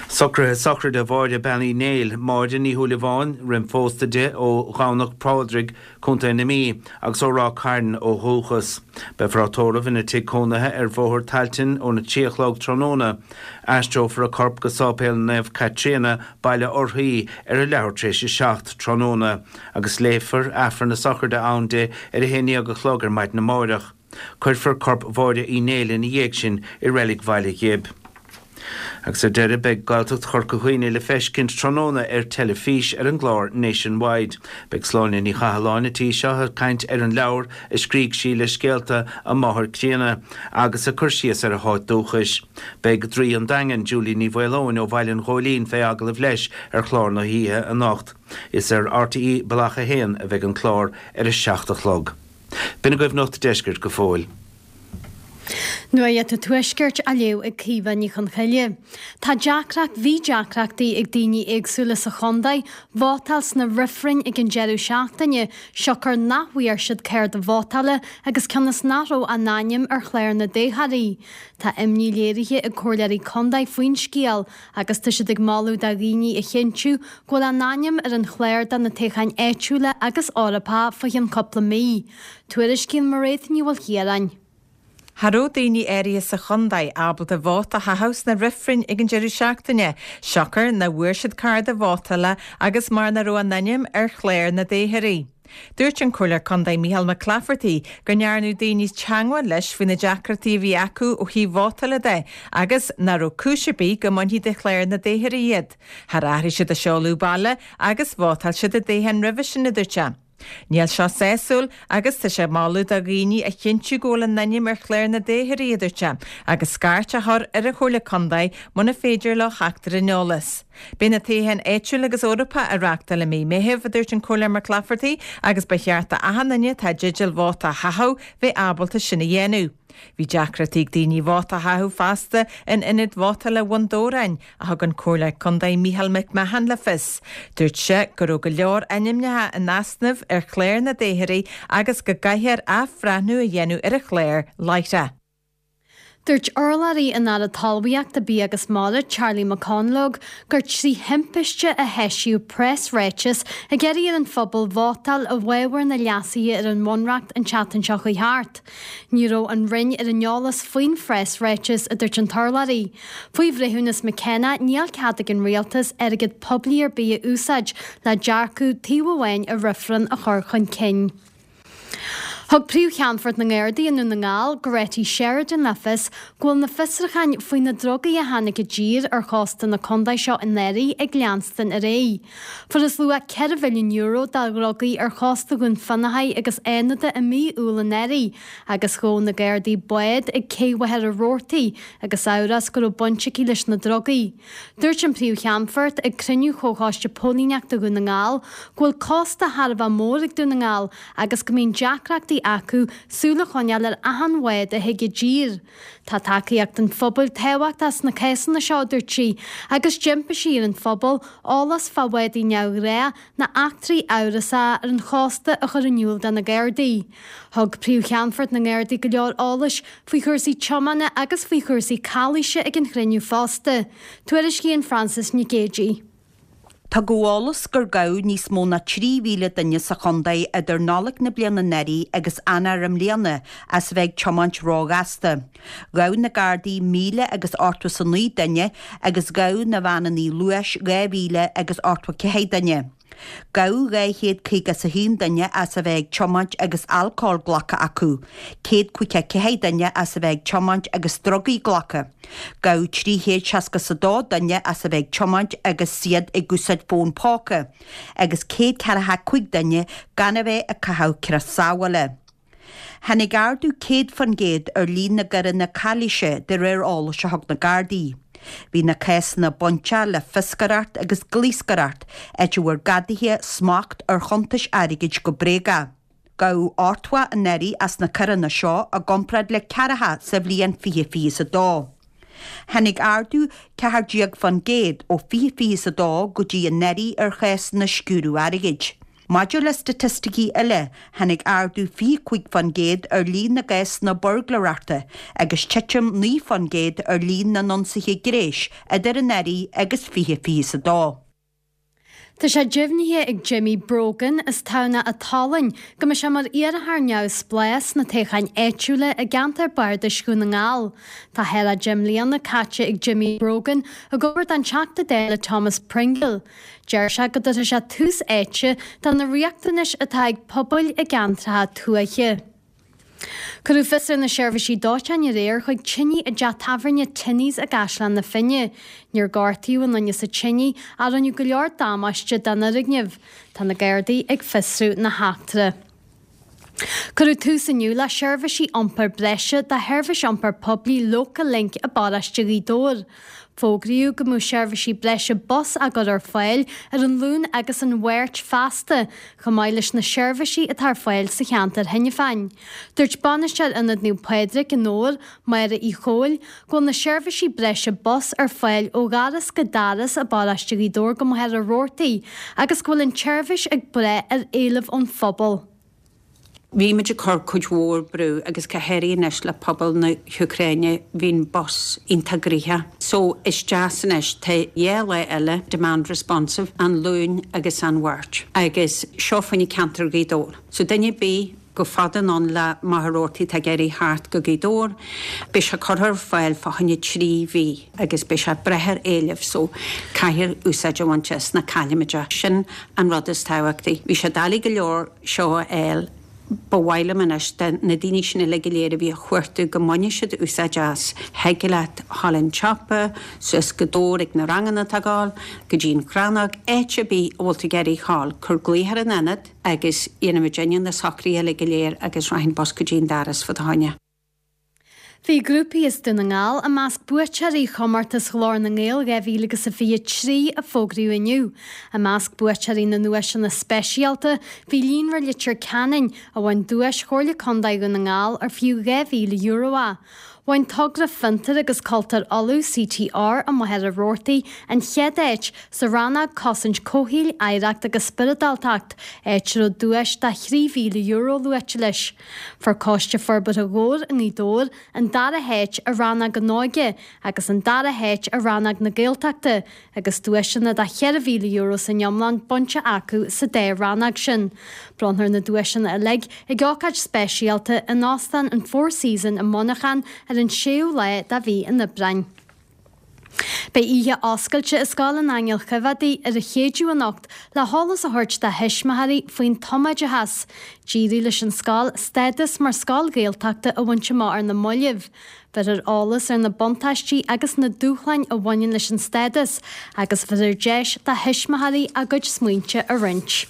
Socruithe sochraide Mháire Bean Uí Néill, Máire Ní Shúilleabháin, roim phósta di, ó Dhomhnach Phádraig, Co. na Mí, agus ó Ráth Cairn ó dhúchas. Beifear á tórramh ina tigh cónaithe ar Bhóthar Tailteann óna 3 a chlog tráthnóna. Aistreofar a corp go Sáipéal Naomh Caitríona, Baile Urthaí, ar a leathuair tar éis a 7 tráthnóna, agus léifear Aifreann na sochraide ann di ar a haon dhéag a chlog ar maidin amáireach. Cuirfear corp Mháire Uí Néill ina dhiaidh sin i Reilig Bhaile Ghib. Agus ar deireadh, beidh Gaeltacht Chorca Dhuibhne le feiscint tráthnóna ar teilifís ar an gclár Nationwide. Beidh Sláine Ní Chathalláin an tí seo ag caint ar an leabhar a scrígh sí le scéalta a máthar críonna agus ag cur síos ar a háit dúchais. Beidh Draoi an Daingin, Julie Ní Mhaoileoin ó Bhaile an Ghóilín fé agallamh leis ar chlár na hoíche anocht. Is ar RTÉ Bealach 1 a bheidh an clár ar a 7 a chlog. B'in agaibh Nuacht an Deiscirt go fóill. Nuacht an Tuaiscirt á léamh ag Caoimhe Ní Chonchoille. Tá deacracht, bhí deacrachtaí ag daoine éagsúla sa chontae vótáil sna reifrinn ag an deireadh seachtaine, siocair nach bhfuair siad cárta vótála agus cionn is nach raibh a n-ainm ar chlár na dtoghthóirí. Tá imní léirithe ag comhairleoirí contae faoin scéal agus tá siad ag moladh do dhaoine a chinntiú go bhfuil a n-ainm ar an chlár do na toghcháin áitiúla agus Eorpacha fá cheann cúpla mí. Tuairiscíonn Mairéad Ní Mhaoilchiaráin. Cha raibh daoine áirithe sa chontae ábalta vóta a chaitheamh sna reifrinn ag an deireadh seachtaine, siocair nach bhfuair siad cárta vótála agus mar nach raibh a n-ainm ar chlár na dtoghthóirí. Dúirt an Comhairleoir Contae Micheál Mac Claifertaigh go ndearnadh daoine teangmháil leis faoi na deacrachtaí a bhí acu ó thaobh vótála de agus nach raibh cúis ar bith go mbainfí de chlár na dtoghthóirí iad. Char athraigh siad a seoladh baile agus vótáil siad i dtoghchán roimhe sin, a dúirt sé. Níl seo sásúil agus tá sé ag moladh do dhaoine a chinntiú go bhfuil a n-ainm ar chlár na dtoghthóirí, a dúirt sé, agus scairt a chur ar an Chomhairle Contae muna féidir leo theacht ar an eolas. Beidh na toghcháin áitiúil agus Eorpacha á reáchtáil i mí Meithimh, a dúirt an Comhairleoir Mac Claifertaigh, agus ba cheart d'achan duine atá i dteideal vóta a chaitheamh bheith ábalta sin a dhéanamh. Bhí deacrachtaí ag daoine vóta a chaitheamh fosta in ionad vótála Bhun Dobhráin, a thug an Comhairleoir Contae Micheál McMahon le fios. Dúirt sé go raibh go leor ainmneacha in easnamh ar chlár na dtoghthóirí agus go gcaithfear athbhreathnú a dhéanamh ar an chlár láithreach. Dúirt urlabhraí an Aire Talmhaíochta, Bia agus Mara, Charlie McConalogue, gur trí thimpiste a heisíodh preasráiteas ag iarraidh ar an phobal vótáil i bhfabhar na leasuithe ar an Bhunreacht an tseachtain seo chuaigh thart. Ní raibh an Roinn ar an eolas faoin phreasráiteas, a dúirt an t-urlabhraí. Faoi bhreithiúnas McKenna, níl cead ag an rialtas airgead poiblí ar bith a úsáid le dearcadh taobh amháin i reifreann a chur chun cinn. Thug Príomh-Cheannfort na nGardaí i nDún na nGall, Goretti Sheridan le fios go bhfuil na fiosrúcháin faoi na drugaí a tháinig i dtír ar chósta na contae seo anuraidh ag leanstan ar aghaidh. Fuarthas luach €4 mhilliún de dhrugaí ar chósta Dhún Fionnachaidh agus Fhánada i mí Iúil anuraidh agus ghabh na Gardaí bád ag Cé Mhachaire Rabhartaigh agus amhras go raibh baint aici leis na drugaí. Dúirt an Príomh-Cheannfort ag cruinniú Chomhchoiste Póilíneachta Dhún na nGall go bhfuil cósta thar a bheith mór ag Dún na nGall agus go mbíonn deacrachtaí. chumhachtaí acu súil a choinneáil ar achan bhád a thig i dtír. Tá tacaíocht an phobail tábhachtach sna cásanna seo, a dúirt sí, agus d'impigh sí ar an phobal eolas fá bhádaí neamhghnácha ná eachtraí amhrasacha ar an chósta a chur in iúl do na Gardaí. Thug Príomh-Cheannfort na nGardaí go leor eolais faoi chúrsaí tiomána agus faoi chúrsaí calaoise ag an chruinniú fosta. Tuairiscíonn Frances Nic Géadaigh. Tugadh eolas gur gabhadh níos mó ná 3,000 duine sa chontae idir Nollaig na bliana anuraidh agus Eanáir i mbliana as a bheith ag tiomáint róghasta. Ghabh na Gardaí míle agus 89 duine agus ghabh na veaineanna luais 2,000 agus 84 duine. Gabhadh 251 duine as a bheith ag tiomáint agus alcól glactha acu, 154 duine as a bheith ag tiomáint agus drugaí glactha. Gabhadh 362 duine as a bheith ag tiomáint agus iad ag úsáid fón póca, agus 145 duine gan a bheith ag caitheamh crios sábhála. Tháinig ardú 100% ar líon na gcoireanna calaoise de réir eolais a thug na Gardaí. Bhí na cásanna bainteach le fioscaireacht agus gluaschaireacht, áit a bhfuair gadaithe smacht ar chuntais airgid go bréagach. Gabhadh 80 anuraidh as na coireanna seo i gcomparáid le ceathracha sa bhliain 2022. Tháinig ardú 14% ó 2022 go dtí anuraidh ar chásanna sciúradh airgid. Maidir le staitisticí eile, tháinig ardú 25% ar líon na gcásanna buirgléireachta agus titim 9% ar líon na n-ionsaithe gréis idir anuraidh agus 2022. Tá sé deimhnithe ag Jimmy Brogan as Tamhnach an tSalainn go mbeidh sé mar iarrthóir neamhspleách sna toghcháin áitiúla i gceantar Bardais Dhún na nGall. Tá thar a 10 mbliana caite ag Jimmy Brogan ag obair don Teachta Dála Thomas Pringle. Deir sé go dtabharfaidh sé tús áite do na riachtanais atá ag pobail i gceantracha tuaithe. Cuireadh fios ar na seirbhísí dóiteáin aréir chuig tine i dteach tábhairne Tinney's i gCaisleán na Finne. Níor gortaíodh aon duine sa tine ach rinneadh go leor damáiste don fhoirgneamh. Tá na Gardaí ag fiosrú na heachtra. Cuireadh tús inniu le seirbhísí iompair breise do sheirbhís iompair poiblí Local Link i bparóiste Ghaoth Dobhair. Fógraíodh go mbeadh seirbhísí breise bus á gcur ar fáil ar an Luan agus an Mháirt feasta, chomh maith leis na seirbhísí atá ar fáil sa cheantar cheana féin. Dúirt Bainisteoir Ionad Naomh Pádraig i nDobhar, Máire Uí Chomhaill, go bhfuil na seirbhísí breise bus ar fáil ó dhoras go doras i bparóiste Ghaoth Dobhair go Machaire Rabhartaigh agus go bhfuil an tseirbhís ag brath ar éileamh ón phobal. Bhí muid ag cur cuid mhór brú agus go háirithe anois le pobal na hÚcráine bhí an bus iontach gnoitheach. So is deas anois, tá dhá lá eile demand responsive, an Luan agus an Mháirt agus seo fá choinne ceantar Ghaoth Dobhair. So duine ar bith chomh fada anonn le Machaire Rabhartaigh atá ag iarraidh theacht go Gaoth Dobhair, beidh sé curtha ar fáil fá choinne 3 mhí agus beidh sé ag brath ar éileamh so caithfear úsáid a bhaint as ná caillfimid é. Sin an rud is tábhachtaí. Bhí sé doiligh go leor seo a fháil. Ba mhaith liom anois do na daoine sin uilig go léir a bhí á chuartú go mbainfidh siad úsáid as. Thig leat dhul an tsiopa, suas go Dobhar ag na ranganna atá ag gabháil, go dtí an Chrannóg, áit ar bith a bhfuil tú ag iarraidh dhul, cuir glaoch ar an ionad agus dhéanfaidh muidinne na socruithe uilig go léir agus rachaidh an bus go dtí an doras fá do choinne. Bhí grúpaí as Dún na nGall i measc buaiteoirí chomórtas Ghlór na nGael 2023 a fógraíodh inniu. I measc buaiteoirí na nduaiseanna speisialta bhí Líonra Leitir Ceanainn, a bhain duais Chomhairle Contae Dhún na nGall ar fiú €2,000 é. Bhain Togra Fiontair agus Cultúir Uladh, CTR, i Machaire Rabhartaigh an chéad áit sa rannóg Cosaint Comhshaoil, Oidhreacht agus Spioradáltacht, áit a raibh duais de €3,000 luaite leis. Fuair Coiste Forbartha Dhobhair i nGaoth Dobhair an dara háit i rannóg an Óige agus an dara háit i rannóg na Gaeltachta agus duaiseanna de €4,000 san iomlán bainte acu sa dá rannóg sin. Bronnfar na duaiseanna uilig ag ócáid speisialta in Óstán an Four Season i Muineachán ar an séú lá de mhí an Aibreáin. Beidh oíche oscailte i Scoil an Aingil Choimheádaigh ar an Chéadaoin anocht le heolas a thabhairt do thuismitheoirí faoin tumoideachas. D'éirigh leis an scoil stádas mar scoil Ghaeltachta a bhaint amach ar na mallaibh. Bheirfear eolas ar na buntáistí agus na dúshláin a bhaineann leis an stádas agus bheirfear deis do thuismitheoirí a gcuid smaointe a roinnt.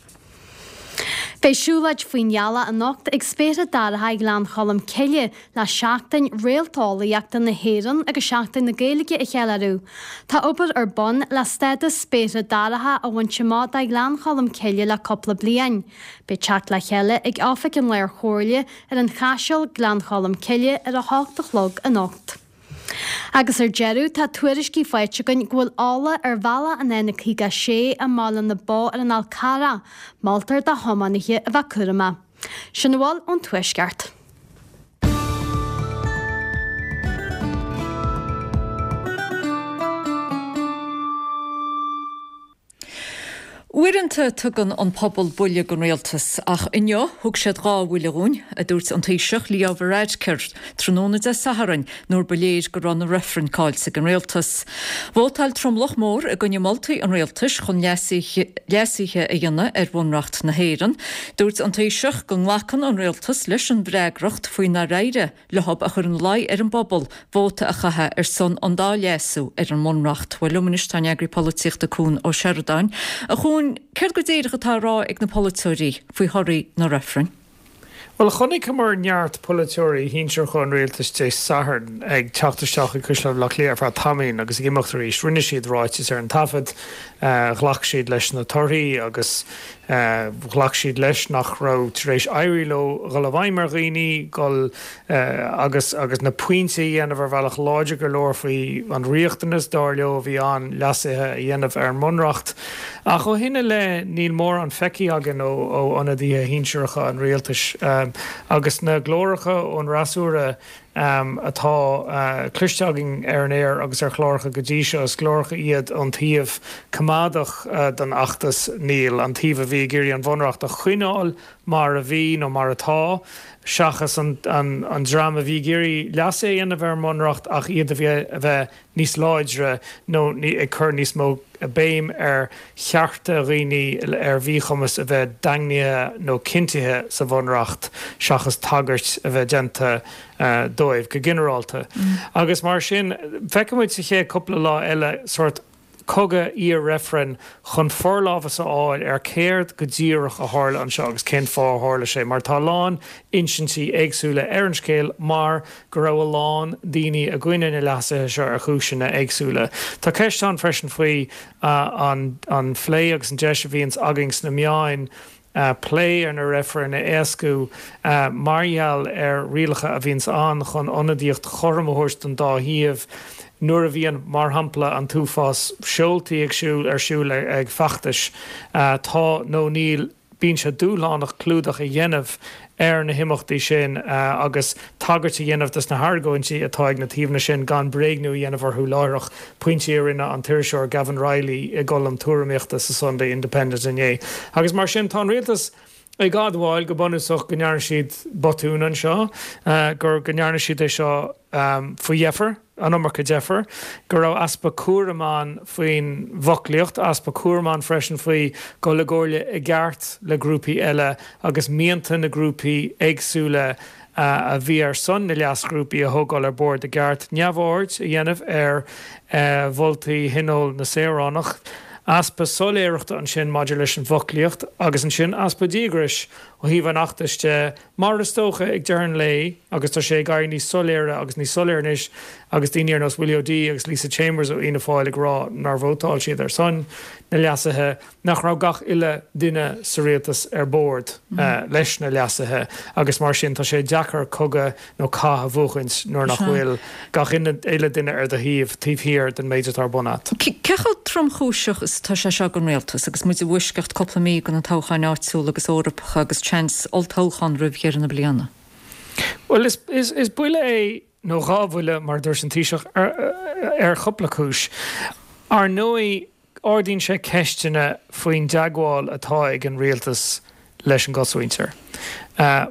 Beidh siúlóid faoin ghealach anocht ag Spéartha Dorcha Ghleann Cholm Cille le Seachtain Réalteolaíochta na hÉireann agus Seachtain na Gaeilge a cheiliúradh. Tá obair ar bun le stádas Spéartha Dorcha a bhaint amach do Ghleann Cholm Cille le cúpla bliain. Beidh teacht le chéile ag Oifig an Lár-Chomhairle ar an Chaiseal, Gleann Cholm Cille ar a hocht a chlog anocht. Agus ar deireadh, tá tuairiscí faighte againn go bhfuil eolach ar bhealach an N56 i mBaile na Bó ar an Fhál Carrach. Moltar do thiománaithe a bheith cúramach. Sin a bhfuil ón Tuaisceart. Uaireanta tugann an pobal buille don rialtas, ach inniu thug siad 2 bhuille dhúinn, a dúirt an Taoiseach Leo Varadkar tráthnóna Dé Sathairn nuair ba léir go raibh na reifrinn caillte ag an rialtas. Vótáil tromlach mór i gcoinne moltaí an rialtais chun leasuithe a dhéanamh ar Bhunreacht na hÉireann. Dúirt an Taoiseach go nglacann an rialtas leis an bhfreagracht faoi nár éirigh leob a chur ina luí ar an bpobal vóta a chaitheamh ar son an dá leasú ar an mBunreacht. Bhuel, liom anois tá an eagraí polaitíochta Cuan Ó Seireadáin. A Chuain, céard go díreach atá á rá ag na polaiteoirí faoi thorthaí na reifreann? Bhuel, chonaiceamar neart polaiteoirí shinsearacha an rialtais Dé Sathairn ag teacht isteach ag Caisleán Bhaile Átha Cliath ar feadh tamaillín agus ag imeacht arís. Rinne siad ráitis ar an taifead, ghlac siad leis na torthaí agus Ghlac siad leis nach raibh tar éis éirí leo dhul i bhfeidhm ar dhaoine, dhul agus agus na pointí a dhéanamh ar bhealach láidir go leor faoi an riachtanas, dar leo, a bhí ann leasuithe a dhéanamh ar an mBunreacht. Ach ó shin i leith níl mórán feicthe againn ó ionadaithe shinsearacha an rialtais agus na glóracha ón fhreasúra atá cloiste againn ar an aer agus ar chláracha go dtí seo. Is glóracha iad ón taobh coimeádach den fheachtas Níl, an taobh a bhí ag iarraidh an Bhunreacht a choinneáil mar a bhí nó mar atá, seachas an dream a bhí ag iarraidh leasuithe a dhéanamh ar an mBunreacht ach iad a bheith níos láidre nó ag cur níos mó béim ar chearta dhaoine ar mhíchumas a bheith daingnithe nó cinntithe sa Bhunreacht seachas tagairt a bheith déanta dóibh go ginearálta. Agus mar sin, feicfidh muid sa chéad cúpla lá eile sórt cogadh iar-reifrinn chun forlámhas a fháil ar céard go díreach a tharla anseo agus cén fáth a tharla sé, mar tá a lán insintí éagsúla ar an scéal mar go raibh a lán daoine i gcoinne na leasuithe seo ar chúiseanna éagsúla. Tá ceist ann freisin faoi an phlé agus an deis a bhíonns againn sna meáin plé ar na reifrinn a éascú mar gheall ar rialacha a bhíonns ann chun ionadaíocht chothrom a thabhairt don dá thaobh nuair a bhíonn, mar shampla, an t-uafás seoltaí ag siúl ar siúl ag feachtais. Tá nó níl. Bíonn sé dúshlánach clúdach a dhéanamh ar na himeachtaí sin agus tagairt a dhéanamh dos na hargóintí atá ag na taobhanna sin gan bréagnú a dhéanamh orthu láithreach, pointí a rinne an t-iriseoir Gavin Reilly i gcolm tuairimíochta sa Sunday Independent inné. Agus mar sin, tá an rialtas ag admháil go bunúsach go ndearna siad botún anseo, gur go ndearna siad é seo faoi dheifir. an iomarca deifir, go raibh easpa cúraim ann faoin bhfoclaíocht, easpa cúraim ann freisin faoi dhul i gcomhairle i gceart le grúpaí eile agus mianta na grúpaí éagsúla a bhí ar son na leasghrúpaí a thógáil ar bord i gceart, neamhaird a dhéanamh ar mholtaí Thionól na Saoránach, easpa soiléireachta ansin maidir leis an bhfoclaíocht agus ansin easpa díograis ó thaobh an fheachtais de. Mar is dócha, ag deireadh an lae, agus tá sé ag éirí níos soiléire agus níos soiléire anois agus daoine ar nós Willie O'Dea agus Lisa Chambers ó Fhianna Fáil ag rá nár vótáil siad ar son na leasuithe, nach raibh gach uile duine sa rialtas ar bord leis na leasuithe agus mar sin tá sé deacair cogadh nó cath a bhuachaint nuair nach bhfuil gach uile duine ar do thaobh, taobh thiar den méid atá ar bun a't. Cé chomh tromchúiseach is atá sé seo don rialtas agus muid i bhfoisceacht cúpla mí de na toghcháin áitiúla agus Eorpacha agus seans olltoghchán roimh dheireadh na bliana? Bhuel, is buille é, nó 2 bhuille mar a dúirt an Taoiseach, ar chúpla cúis. Ar ndóigh, ardaíonn sé ceisteanna faoin dteagmháil atá ag an rialtas leis an gcosmhuintir.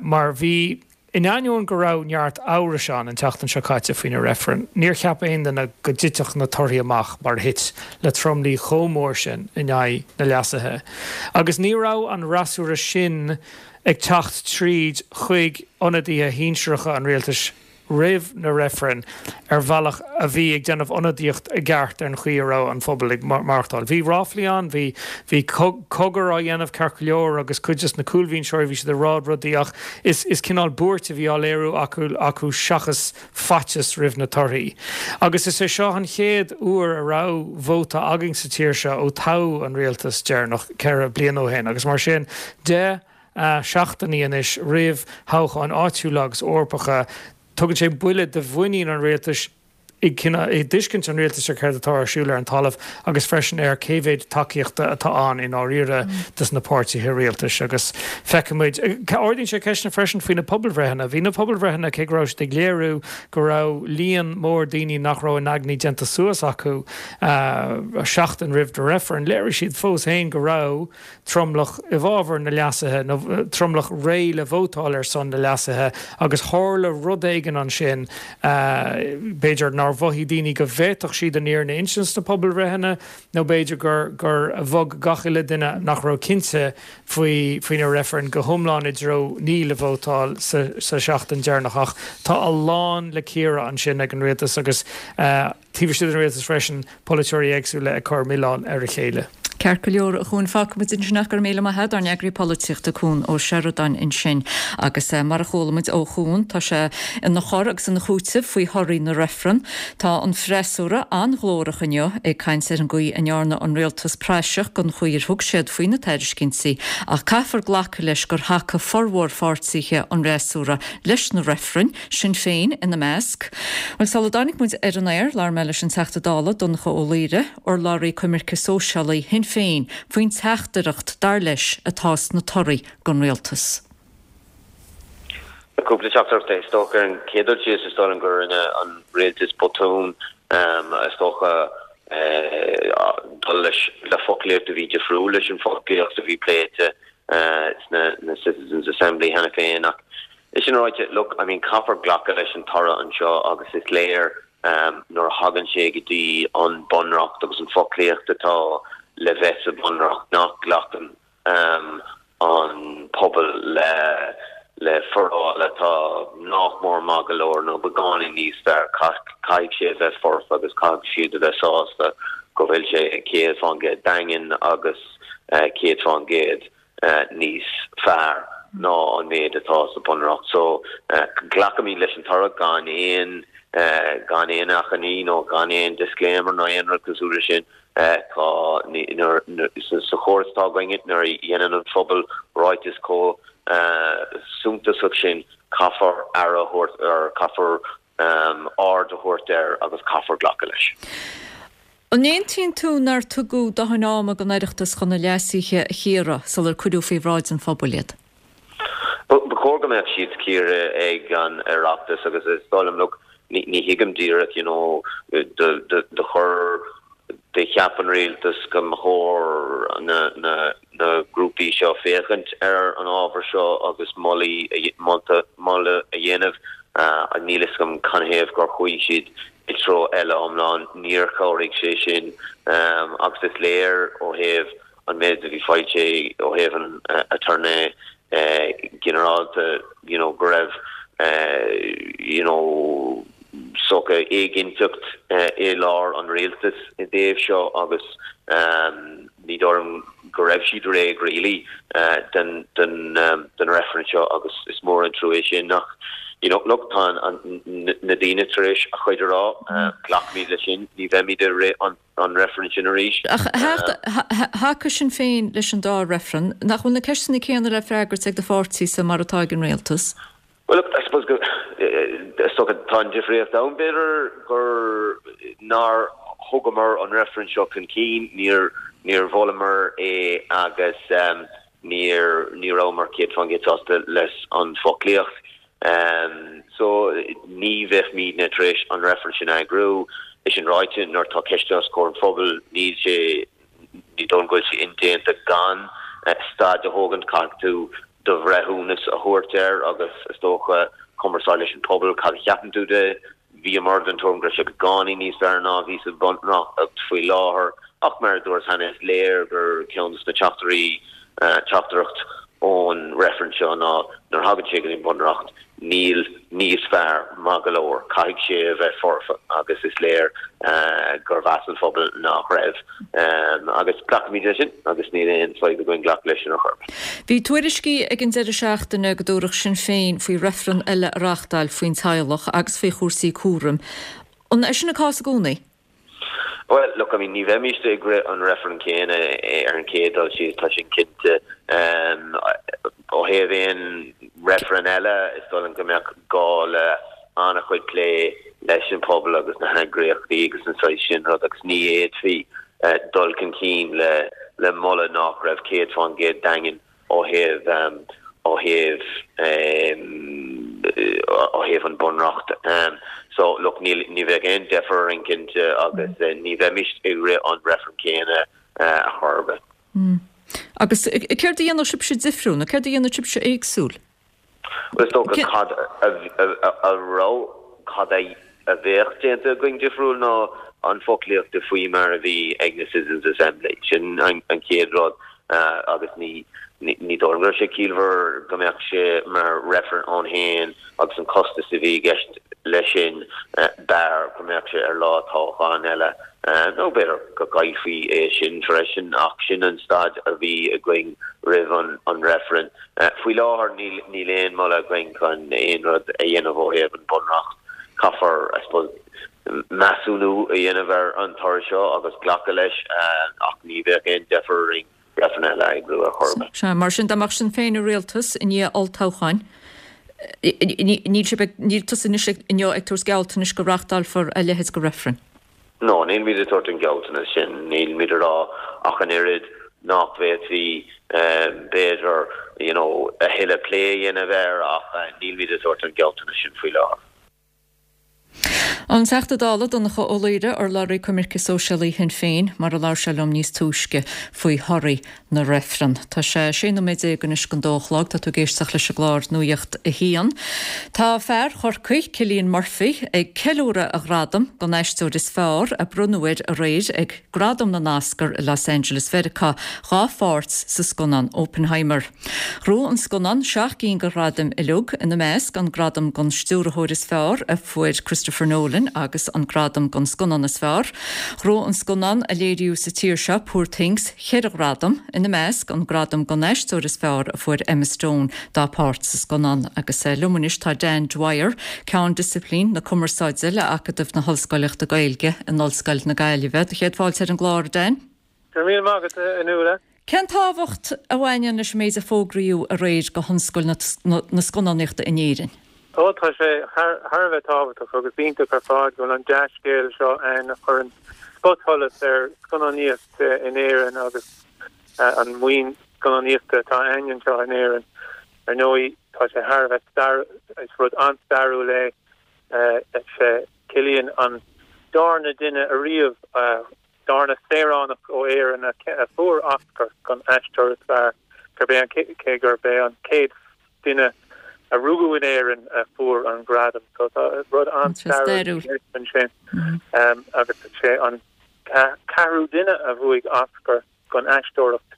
Mar bhí. In ainneoin go raibh neart amhrais ann an tseachtain seo caite faoi na reifrinn, níor cheap aon duine go dtitfeadh na torthaí amach mar a thit, le tromluí chomh mór sin in aghaidh na leasuithe. Agus ní raibh an fhreasúra sin ag teacht tríd chuig ionadaithe shinsearacha an rialtais. roimh na reifrinn ar bhealach a bhí ag déanamh ionadaíocht i gceart ar an chaoi a raibh an phobal ag maireachtáil. Bhí ráflaí ann, bhí bhí cogar á dhéanamh ceart go leor agus cuid des na cúlbhinseoirí bhí siad ag rá rudaí ach is is cineál buairt a bhí á léiriú acu acu seachas faitíos roimh na torthaí. Agus is é seo an chéad uair a raibh vóta againn sa tír seo ó toghadh an rialtas deireanach 4 bliana ó shin agus mar sin de seachtainí anois roimh thoghcháin áitiúla agus Eorpacha. Tugann sé buille do mhuinín an rialtais i dtuiscint an rialtais ar céard atá ar siúl ar an talamh agus freisin ar cé mhéid tacaíochta atá ann i ndáiríre dos na páirtithe rialtais. Agus feicfimid. Ardaíonn sé ceisteanna freisin faoi na pobalbhreitheanna. Bhí na pobalbhreitheanna, cé go raibh siad ag léiriú go raibh líon mór daoine nach raibh a n-aigní déanta suas acu seachtain roimh na reifrinn, léirigh siad fós féin go raibh tromlach i bhfabhar na leasuithe, nó tromlach réidh le vótáil ar son na leasuithe, agus tharla rud éigin ansin, b'fhéidir nár mhothaigh daoine go bhféadfadh siad an fhírinne a insint sna pobalbhreitheanna, nó b'fhéidir gur gur bhog gach uile duine nach raibh cinnte faoi faoi na reifrinn go hiomlán i dtreo ní le vótáil sa sa seachtain deireanach. Ach tá a lán le cíoradh ansin ag an rialtas agus. Taobh istigh den rialtas freisin, polaiteoirí éagsúla ag cur milleáin ar a chéile. Ceart go leor, a Chuain, fágfaidh muid ansin é. Go raibh míle maith agat, ár n-eagraí polaitíochta Cuan Ó Seireadáin ansin. Agus mar a chuala muid ó Chuan, tá sé ina chur agus ina chúiteamh faoi thorthaí na reifreann. Tá an freasúra an-ghlórach inniu ag caint ar an gcaoi a ndearna an rialtas praiseach den chaoi ar thug siad faoi na tairiscintí ach caithfear glacadh leis gur thacaigh formhór pháirtithe an fhreasúra leis na reifrinn. Sinn Féin ina measc. Bhuel, sula dtáinig muid ar an aer, labhair mé leis an Teachta Dála, Donncha Ó Laoghaire, urlabhraí coimirce sóisialaí Shinn Féin, faoin teachtaireacht, dar leis, atá sna torthaí don rialtas. Cúpla teachtaireacht, is dócha. Ar an chéad dul síos, is dóigh liom gur rinne an rialtas botún, is dócha, dul leis le foclaíocht a bhí difriúil leis an bhfoclaíocht a bhí pléite sna Citizens Assembly cheana féin. Ach É sin ráite, look, I mean caithfear glacadh leis an toradh anseo agus is léir nuair a thagann sé go dtí an Bunreacht agus an foclaíocht atá le bheith sa Bhunreacht nach nglacann an pobal le le foráil atá nach mór maith go leor nó beagáinín níos fearr. Caithfidh sé a bheith foirfe agus caithfidh siad a bheith sásta go bhfuil sé 100% daingean agus 100%. níos fearr ná an méid atá sa Bhunreacht. So, glacaimid leis an toradh gan aon, gan aon achainí nó gan aon disclaimer nó aon rud cosúil leis sin. Tá, sa chóras atá againne, nuair a dhéanann an phobal ráiteas chomh suntasach sin, caithfear aire a thabhairt air, caithfear aird a thabhairt air agus caithfear glacadh leis. An aontaíonn tú nár tugadh dóthain ama don Oireachtas chun na leasuithe a chíoradh sular cuireadh faoi bhráid an phobail iad? Ba chóir go mbeadh siad cíortha ag an Oireachtas agus is dóigh liom, look, ní thuigim díreach, you know, do chuir, do cheap an rialtas go mba chóir na, na, na grúpaí seo féachaint ar an ábhar seo agus molaí, molta, moladh a dhéanamh. Níl fhios agam canathaobh gur chuaigh siad i dtreo eile iomlán. Níor chabhraigh sé sin agus is léir ó thaobh an méid a bhí foilsithe ó thaobh an aturnae ginearálta you know go raibh you know sórt éiginnteacht i lár an rialtais i dtaobh seo agus ní dóigh liom go raibh siad réidh really don don reifreann seo agus is mór an trua é sin ach you know look tá na daoine tar éis a chuid a rá, glacfaimid leis sin, ní bheimid i rith an an reifreann sin arís. Ach thacaigh Sinn Féin leis an dá reifreann. Nach bhfuil na ceisteanna céanna le freagairt ag do pháirtíse mar atá ag an rialtas? Bhuel, look, I suppose go, is dócha, tá an difríocht ann, b'fhéidir, gur nár thugamar an reifreann seo chun cinn, níor, níor mholamar é agus níor, ní rabhamar 100% sásta leis an bhfoclaíocht. So, ní bheimidne tar éis an reifreann sin a eagrú. É sin ráite, nuair atá ceist os comhair an phobail, níl sé, ní dóigh liom go bhfuil sé indéanta gan staid a thógaint, caithfidh tú do bhreithiúnas a thabhairt air agus is dócha cumarsáid leis an pobal, cad a cheapann tú de? Bhíomar den tuairim go raibh sé beagáinín níos fearr ná a bhí sa Bhunreacht faoi láthair ach mar a dúras cheana is léir gur ceann de na teachtairí, teachtaireacht ón reifreann seo ná nuair a thagann sé go dtí an Bunreacht. Níl níos fearr maith go leor, caithfidh sé a bheith foirfe agus is léir gur mheas an phobal nach raibh. Agus glacfaimid leis sin agus níl aon fadhb againn glacadh leis sin ar chor ar bith. Bhí tuairiscí ag an deireadh seachtaine go dtabharfadh Sinn Féin faoi reifreann eile a reáchtáil faoin teaghlach agus faoi chúrsaí cúraim. An é sin an cás i gcónaí? Bhuel, look, I mean, ní bheimíst ag rith an reifreann céanna ar an chéad dul síos, tá sin cinnte. Ó thaobh aon reifreann eile, is dóigh liom go mbeadh gá le an-chuid plé leis an phobal agus na heagraíochtaí agus an saghas sin rud agus ní fhéadfaí dul chun cinn le le moladh nach raibh 100% daingean ó thaobh ó thaobh ó thaobh an Bunreacht. So look níl ní bheadh aon deifir orainn cinnte agus ní bheimis ag rith an reifreann céanna ar chor ar bith. Agus céard a dhéanfadh sibhse difriúil nó céard a dhéanfadh sibhse éagsúil? Bhuel, is dócha cad a raibh, cad a bheadh déanta againn difriúil ná an foclaíocht faoi mar a bhí ag na Citizens Assembly. Sin an chéad rud agus ní ní dóigh liom go raibh sé ciallmhar go mbeadh sé mar reifreann ann féin agus an costas a bhí i gceist leis sin, b'fhearr go mbeadh sé ar lá toghcháin eile nó b'fhéidir go gcaillfí é sin freisin ach sin an staid a bhí againn roimh an reifreann. Faoi láthair níl aon mholadh againn chun aon rud a dhéanamh ó thaobh an Bhunreacht. Caithfear, I suppose, measúnú a dhéanamh ar an toradh seo agus glacadh leis ach ní bheadh aon deifir orainn reifreann eile a eagrú ar chor ar bith. Sea, mar sin dá mbeadh Sinn Féin i rialtas i ndiaidh olltoghcháin, níl sibh ag, níl tusa anois inniu ag tabhairt gealltanais go reáchtálfar a leithéid de reifreann? No, nílimid ag tabhairt an gealltanas sin. Nílimid ag rá ach an oiread nach bhféadfaí, b'fhéidir, you know, a thuilleadh plé a dhéanamh air ach nílimid ag tabhairt an gealltanas sin faoi láthair. An Teachta Dála Donncha Ó Laoghaire, urlabhraí coimirce sóisialaí Shinn Féin, mar a labhair sé liom níos túisce faoi thorthaí na reifreann. Tá sé 16 nóiméad anois don dó a chlog. Tá tú ag éisteacht leis an gclár Nuacht a hAon. Tá fear Chorcaí, Cillian Murphy, ag ceiliúradh a ghradam don aisteoir is fearr a bronnadh air aréir ag Gradaim na nOscar i Los Angeles Mheiriceá dhá pháirt sa scannán Oppenheimer. Ghnóthaigh an scannán 7 gcinn de ghradaim uilig, ina measc an gradam don stiúrthóir is fearr a fuair Christopher Nolan agus an gradam don scannán is fearr. Ghnóthaigh an scannán a léiríodh sa tír seo, Poor Things, cheithre ghradam, ina measc an gradam don aisteoir is fearr a fuair Emma Stone dá páirt sa scannán. Agus liom anois tá Dan Dwyer, Ceann Disciplín na Cumarsáide le Acadamh na hOllscoileachta Gaeilge in Ollscoil na Gaillimhe. Do chéad fáilte ar an gclár, a Dan. Go raibh míle maith agat, a Nuala. Cén tábhacht a bhaineann leis an méid a fógraíodh aréir do thionscal na scannánaíochta in Éirinn? Ó, tá sé thar a bheith tábhachtach agus iontach ar fad go bhfuil an dea-scéal seo ann a chuireann spotsholas ar scannánaíocht in Éirinn agus an maoin scannánaíochta atá ann anseo in Éirinn. Ar ndóigh, tá sé thar a bheith stair, is rud an-stairiúil é, is é Cillian an darna duine ariamh a darna saoránach ó Éirinn a fuair Oscar don aisteoir is fearr, gurb é an, cé gurb é an chéad duine a rugadh in Éirinn a fuair an gradam. So tá rud an-stairiúil ansin. Agus sé an ceathrú duine a bhuaigh Oscar don aisteoireacht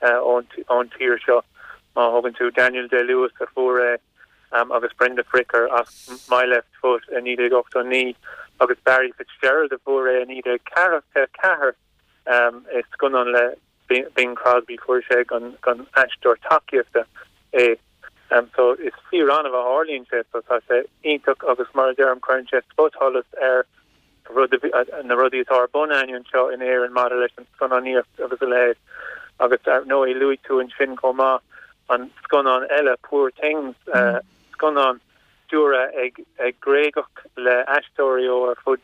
ón tír seo, má thugann tú Daniel Day-Lewis a fuair é, agus Brenda Fricker as My Left Foot i 1989 agus Barry Fitzgerald a fuair é i 1944 i scannán le Bing Crosby, fuair sé don aisteoir tacaíochta é. So is fíor-annamh a tharlaíonn sé so tá sé iontach agus mar a deirim cuireann sé spotsholas ar rud, na rudaí atá ar bun againn anseo in Éirinn maidir leis an scannánaíocht agus a leithéid. Agus ar ndóigh luaigh tú ansin chomh maith an scannán eile, Poor Things, scannán stiúrtha ag ag Gréagach le aisteoirí ó ar fud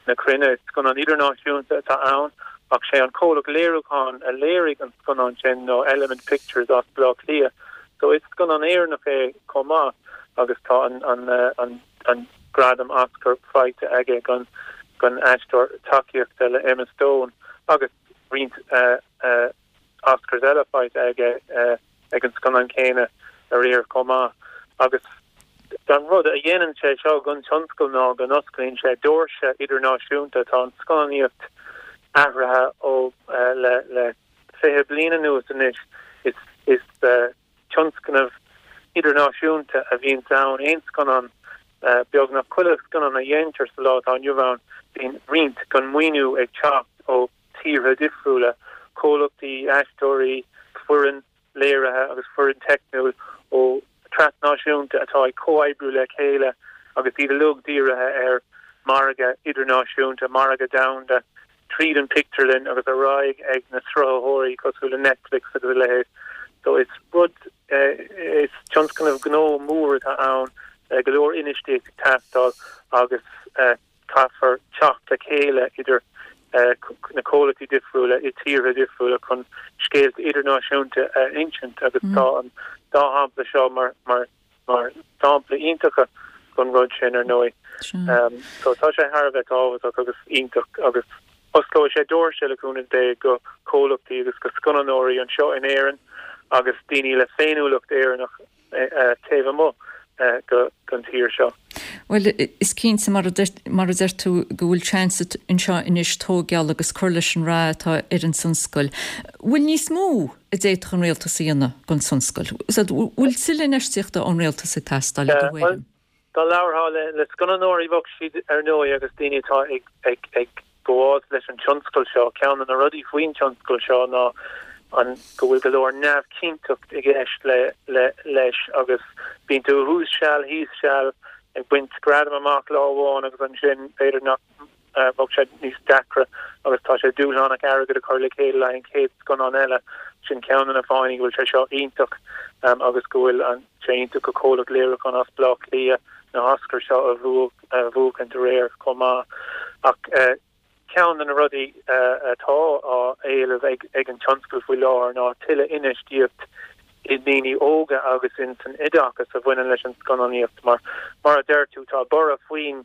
na cruinne. Scannán idirnáisiúnta atá ann ach sé an comhlacht léiriúcháin a léirigh an scannán sin ná Element Pictures as Baile Átha Cliath. So is scannán Éireannach é chomh maith agus tá an an an an gradam Oscar faighte aige don don aisteoir tacaíochta le Emma Stone agus roinnt Oscars eile faighte aige ag an scannán céanna aréir chomh maith. Agus an rud a dhéanann sé seo don tionscal ná go n-osclaíonn sé doirse idirnáisiúnta. Tá an scannánaíocht athraithe ó le le 20 bliain anuas anois. Is is tionscnamh. idirnáisiúnta a bhíonns ann, aon scannán, beagnach chuile scannán a dhéantar sa lá atá inniu ann, bíonn roinnt den mhaoiniú ag teacht ó tíortha difriúla, comhlachtaí, aisteoirí, foireann léirithe agus foireann teicniúil ó trasnáisiúnta atá ag comhoibriú le chéile agus iad uilig dírithe ar margadh idirnáisiúnta, margadh domhanda, tríd an pictiúrlann agus ar aghaidh ag na sruthaitheoirí cosúil le Netflix agus a leithéid. So is rud, is tionscnamh gnó mór atá ann, go leor infheistíocht ag teastáil agus caithfear teacht le chéile idir na comhlachtaí difriúla i tíortha difriúla chun scéalta idirnáisiúnta a insint agus tá an dá shampla seo mar mar mar sampla iontacha den rud sin ar ndóigh. So tá sé thar a bheith tábhachtach agus iontach agus osclóidh sé doirse le cúnamh Dé go comhlachtaí agus go scannánóirí anseo in Éirinn agus daoine le féiniúlacht Éireannach taobh amuigh den tír seo. Bhuel, is cinnte, mar a deir tú, go bhfuil seans anseo anois tóigeáil agus cur leis an rath atá ar an tionscal. Bhfuil níos mó a d'fhéadfadh an rialtas a dhéanamh don tionscal? Bhfuil tuilleadh infheistíochta ón rialtas ag teastáil i do thuairim? Dá labharfá le scannánóirí bheadh siad ar ndóigh agus daoine atá ag gabháil leis an tionscal seo, ceann de na rudaí faoin tionscal seo ná an go bhfuil go leor neamhchinnteacht i gceist le leis agus bíonn tú thuas seal thíos seal ag baint gradam amach lá amháin agus ansin b'fhéidir nach bheadh sé níos deacra agus tá sé dúshlánach airgead a chur le chéile le haghaidh an chéad scannán eile. Sin ceann de na fáthanna go bhfuil sé seo iontach agus go bhfuil sé iontach go comhlacht léiriúcháin as Baile Átha Cliath na hOscair seo a bhuachaint aréir chomh maith. Ach ceann de na rudaí atá á éileamh ag an tionscal faoi láthair ná tuilleadh infheistíocht i ndaoine óga agus in san oideachas a bhaineann leis an scannánaíocht mar, mar a deir tú, tá borradh faoin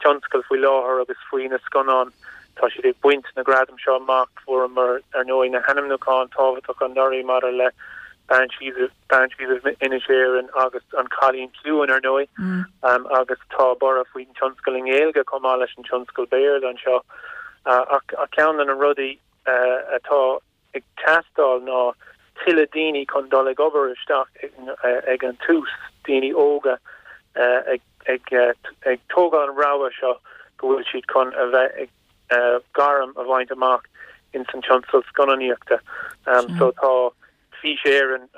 tionscal faoi láthair agus faoi na scannáin. Tá siad ag baint na gradaim seo amach. Fuaireamar, ar ndóigh, na hainmniúcháin tábhachtacha anuraidh maidir le Banshees of Banshees of Inisherin agus An Cailín Ciúin, ar ndóigh, agus tá borradh faoin tionscal i nGaeilge chomh maith leis an tionscal Béarla anseo. Ach ceann de na rudaí atá ag teastáil ná tuilleadh daoine chun dul ag obair isteach ag an tús, daoine óga ag tógáil an rogha seo go bhfuil siad chun a bheith ag gairm a bhaint amach ins an tionscal scannánaíochta. So tá Fís Éireann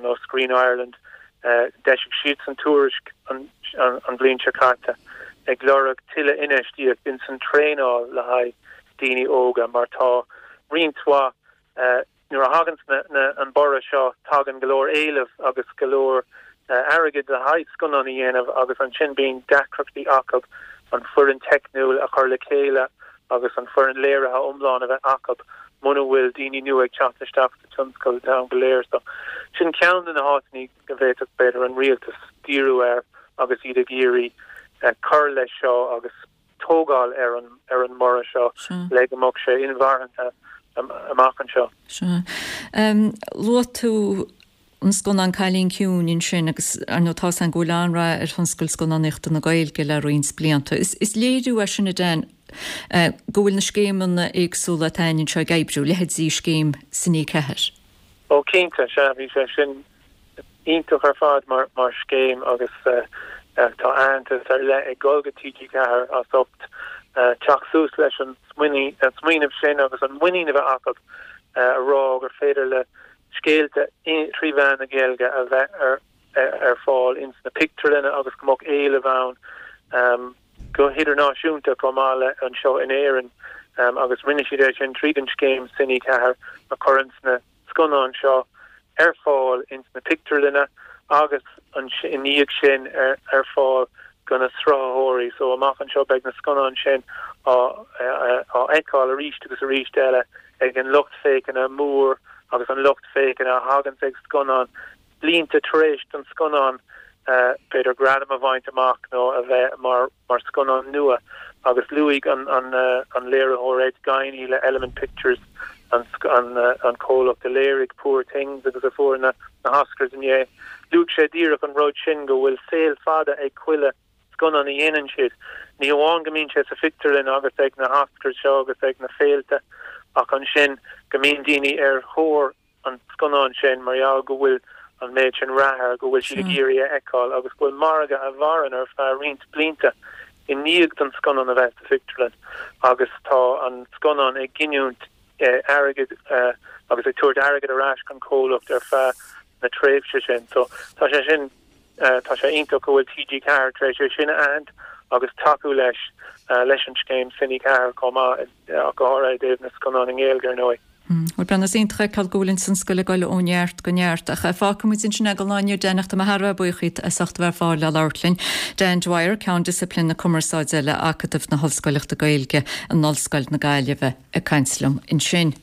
nó Screen Ireland, d'eisigh siadsan tuairisc an bhliain seo caite ag lorg tuilleadh infheistíocht ins an traenáil le haghaidh daoine óga mar tá roinnt mhaith, nuair a thaganns na an borradh seo tagann go leor éileamh agus go leor airgid le haghaidh scannán a dhéanamh agus ansin bíonn deacrachtaí acu an foireann teicniúil a chur le chéile agus an foireann léirithe iomlán a bheith acu muna bhfuil daoine nua ag teacht isteach sa tionscal an t-am go léir. So sin ceann de na háiteanna go bhféadfadh b'fhéidir an rialtas díriú air agus iad ag iarraidh cur leis seo agus tógáil ar an ar an mborradh seo le go mbeadh sé inmharthana amach anseo. Sea. Luaigh tú an scannán Cailín Ciúin ansin agus ar ndóigh tá's againn go bhfuil an-rath ar thionscal scannánaíochta na Gaeilge le roinnt blianta. Is léiriú é sin, a Dan, go bhfuil na scéimeanna éagsúla atá againn anseo ag oibriú, leithéidí scéim Cine 4. Ó cinnte, sea, bhí sé sin iontach ar fad mar mar scéim agus tá aitheantas ar leith ag dul go TG4 as ucht teacht suas leis an smaoineamh sin agus an muinín a bheith acu a rá gur féidir le scéalta trí mheán na Gaeilge a bheith ar ar fáil ins na pictiúrlanna agus go mbeadh éileamh ann go hidirnáisiúnta chomh maith le anseo in Éirinn agus rinne siad é sin tríd an scéim Cine 4 a chuireanns na scannáin seo ar fáil ins na pictiúrlanna agus i ndiaidh sin ar fáil go na sruthaitheoirí. So amach anseo beidh na scannáin sin á fheiceáil arís agus arís eile ag an lucht féachana mór agus an lucht féachana a thaganns ag scannáin blianta tar éis don scannán b'fhéidir gradam a bhaint amach nó a bheith mar mar scannán nua agus luaigh an an léiritheoir Ed Guiney le Element Pictures an an comhlacht a léirigh Poor Things agus a fuair na na hOscars inné. Luaigh sé díreach an rud sin go bhfuil saol fada ag chuile scannán a dhéanann siad. Ní hamháin go mbíonn sé sa phictiúrlann agus ag na hOscars seo agus ag na féilte ach ansin go mbíonn daoine ar thóir an scannán sin mar gheall go bhfuil. an méid sin rath air go bhfuil siad ag iarraidh a fheiceáil agus go bhfuil margadh a mhaireann ar feadh roinnt blianta i ndiaidh don scannán a bheith sa phictiúrlann agus tá an scannán ag giniúint airgid agus ag tabhairt airgead ar ais don chomhlacht ar feadh na tréimhse sin. So tá sé sin, tá sé iontach go bhfuil TG4 tar éis é sin a aithint agus tacú leis, leis an scéim Cine 4 chomh maith, ach go háirithe i dtaobh na scannán i nGaeilge ar ndóigh. Bhuel, Breandán, is iontach a fheiceáil go bhfuil an tionscal ag dul ó neart go neart. Ach fágfaidh muid ansin é don lá inniu, Dan, ach tá mé thar a bheith buíoch díot as ucht a bheith ar fáil le labhairt linn. Dan Dwyer, Ceann Disciplín na Cumarsáide le Acadamh na hOllscoileachta Gaeilge in Ollscoil na Gaillimhe. ag caint liom ansin.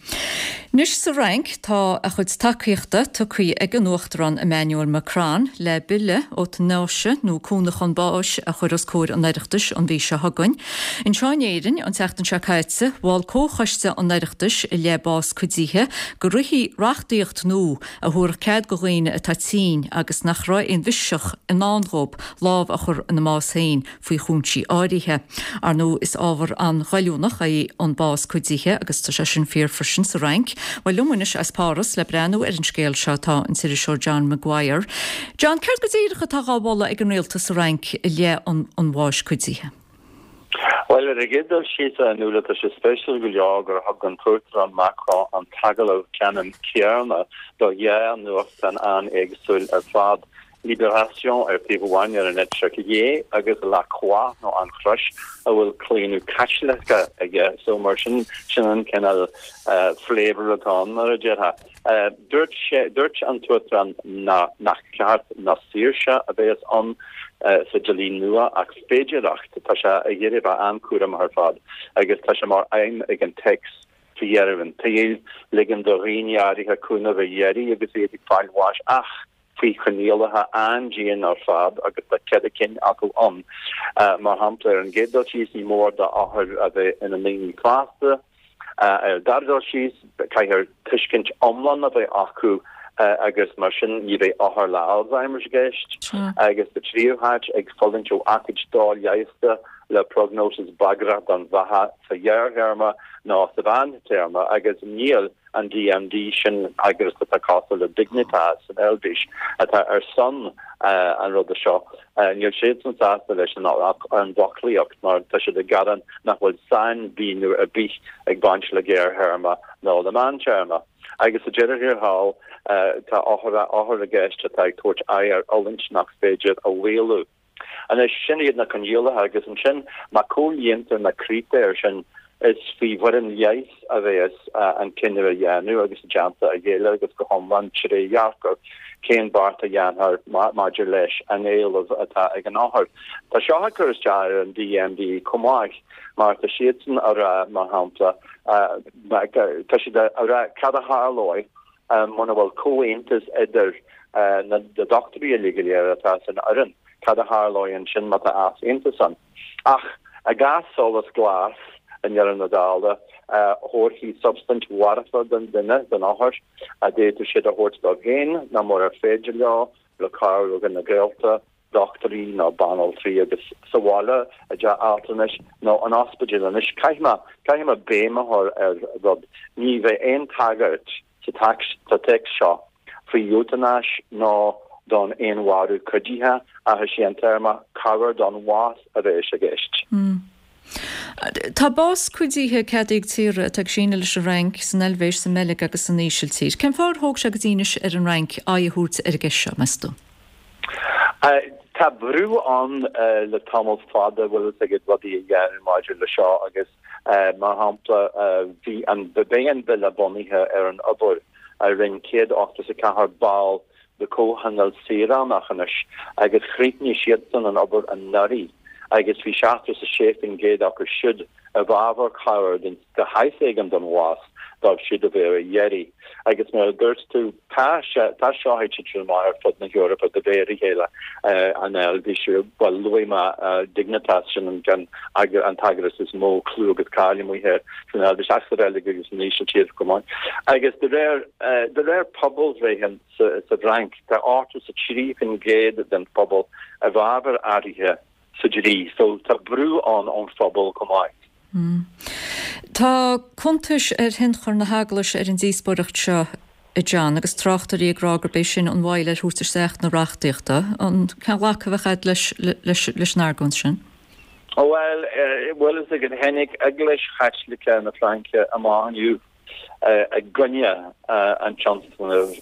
Anois sa Fhrainc tá a chuid tacaíochta tugtha ag an Uachtarán Emmanuel Macron le bille eotanáise nó cúnamh chun báis a chur os comhair an Oireachtais an mhí seo chugainn. Anseo in Éirinn an tseachtain seo caite mhol Comhchoiste an Oireachtais i leith bás cuidithe go rithfí reachtaíocht nua a thabharfadh cead go dhaoine atá tinn agus nach raibh aon bhiseach i ndán dhóibh lámh a chur ina mbás féin faoi chúinsí áirithe. Ar ndóigh, is ábhar an-ghoilliúnach é an bás cuidithe agus tá sé sin fíor freisin sa Fhrainc. Bhuel, liom anois as Páras le breathnú ar an scéal seo tá an t-iriseoir John Maguire. John, céard go díreach atá dhá mholadh ag an rialtas sa Fhrainc i leith an bháis cuidithe? Bhuel, ar an gcéad dul síos, a Fhionnuala, tá sé spéisiúil go leor gur thug an tUachtarán Macron an t-agallamh ceannann céanna do dhá nuachtán an-éagsúil ar fad. Libération ar thaobh amháin ar an eite chlé agus La Croix nó An Chrois a bhfuil claonadh Caitliceach aige so mar sin sin an cineál flavour atá ann mar a déarfá. Dúirt sé, dúirt an tUachtarán nach ceart ná saoirse a bheas ann sa dlí nua ach féidearthacht. Tá sé ag iarraidh a bheith an-chúramach ar fad agus tá sé mar aidhm ag an téacs faoi dheireadh an tsaoil ligean do dhaoine áirithe cúnamh a iarraidh agus iad ag fáil bháis ach faoi choinníollacha an-dian ar fad agus tá ceithre cinn acu ann. Mar shampla, ar an gcéad dul síos, ní mór d'othair a bheith ina ndaoine fásta. Ar an dara dul síos, caithfear tuiscint iomlán a bheith acu agus mar sin ní bheidh othair le Alzheimer's i gceist. Agus sa tríú háit, ag fulaingt ó aicíd doleigheasta le prognósis bagrach don bheatha sa ghearrthéarma nó sa mheántéarma agus níl an DMD, sin eagras atá cosúil le Dignitas san Eilvéis, atá ar son an ruda seo. Níl siadsan sásta leis an bhfoclaíocht mar tá siad ag gearán nach bhfuil sainmhíniú ar bith ag baint le gearrthéarma nó le meántéarma. Agus sa deireadh thiar thall, tá othair i gceist atá ag tabhairt aghaidh ar fhulaingt nach féidir a mhaolú. Anois, sin iad na coinníollacha agus ansin má comhlíontar na critéir sin, is faoi bhfoireann leighis a bheas an cinneadh a dhéanamh agus i dteannta a chéile agus go hiomlán trédhearcach cén beart a dhéanfar maidir leis an éileamh atá ag an othar. Tá seo ag cur isteach ar an DMD chomh maith mar tá siadsan a rá, mar shampla, tá siad a rá cad a tharlóidh Muna bhfuil comhaontas idir na dochtúirí uilig go léir atá san fhoireann, cad a tharlóidh ansin má tá easaontas ann? Ach i gcás solas glas, i ndeireadh na dála, thabharfaí substaint mharfa don duine, don othar, a d'fhéadfadh siad a thabhairt dóibh féin nó murar féidir leo, le cabhair ó na gaolta. dochtúirí nó banaltraí agus sa bhaile i dteach altranais nó in ospidéal. Anois, caithfidh mé, caithfidh mé béim a chur ar rud, ní bheidh aon tagairt sa sa téacs seo faoi eotanáis nó don fhéinmharú cuidithe ach is é an téarma cabhair don bhás a bheas i gceist. Tá bás cuidithe ceadaithe ag tíortha atá ag síneadh leis an Fhrainc, san Eilvéis, sa mBeilg agus san Ísiltír. Cén fáth ar thóg sé go dtí anois ar an Fhrainc aghaidh a thabhairt ar an gceist seo, meas tú? Tá brú ann le tamall fada, bhfuil fhios agat, rudaí a dhéanamh maidir le seo agus mar shampla bhí an, beidh an bille bunaithe ar an obair a rinne 184 ball de Comhthionól Saoránach anois agus chríochnaigh siadsan an obair anuraidh agus bhí 76% acu siúd i bhfabhar cabhair de shaghas éigin don bhás dóibh siúd a bheadh ar a dheiridh. Agus mar a dúirt tú, tá sé, tá seo ag titim amach ar fud na hEorpa de réir a chéile, an Eilvéis, bhuel, luaigh mé Dignitas, sin an ceann, an t-eagras is mó clú agus cáil amuigh thoir san Eilvéis, ach sa Bheilg agus san Ísiltír chomh maith. Agus de réir, de réir pobalbhreithe sa, sa bhFrainc, tá 83% den phobal i bhfabhar athruithe sa dlí. So tá brú ann ón phobal chomh maith. Tá cuntais ar thionchar na hEaglaise ar an díospóireacht seo. a John, agus tráchtairí ag rá gurb é sin an mhoill ar thabhairt isteach na reachtaíochta. An cén ghlacadh a bheadh agat leis leis an argóint sin? Bhuel, bhfuil fhios agat, tháinig Eaglais Chaitliceach na Fraince amach inniu i gcoinne an tionscnaimh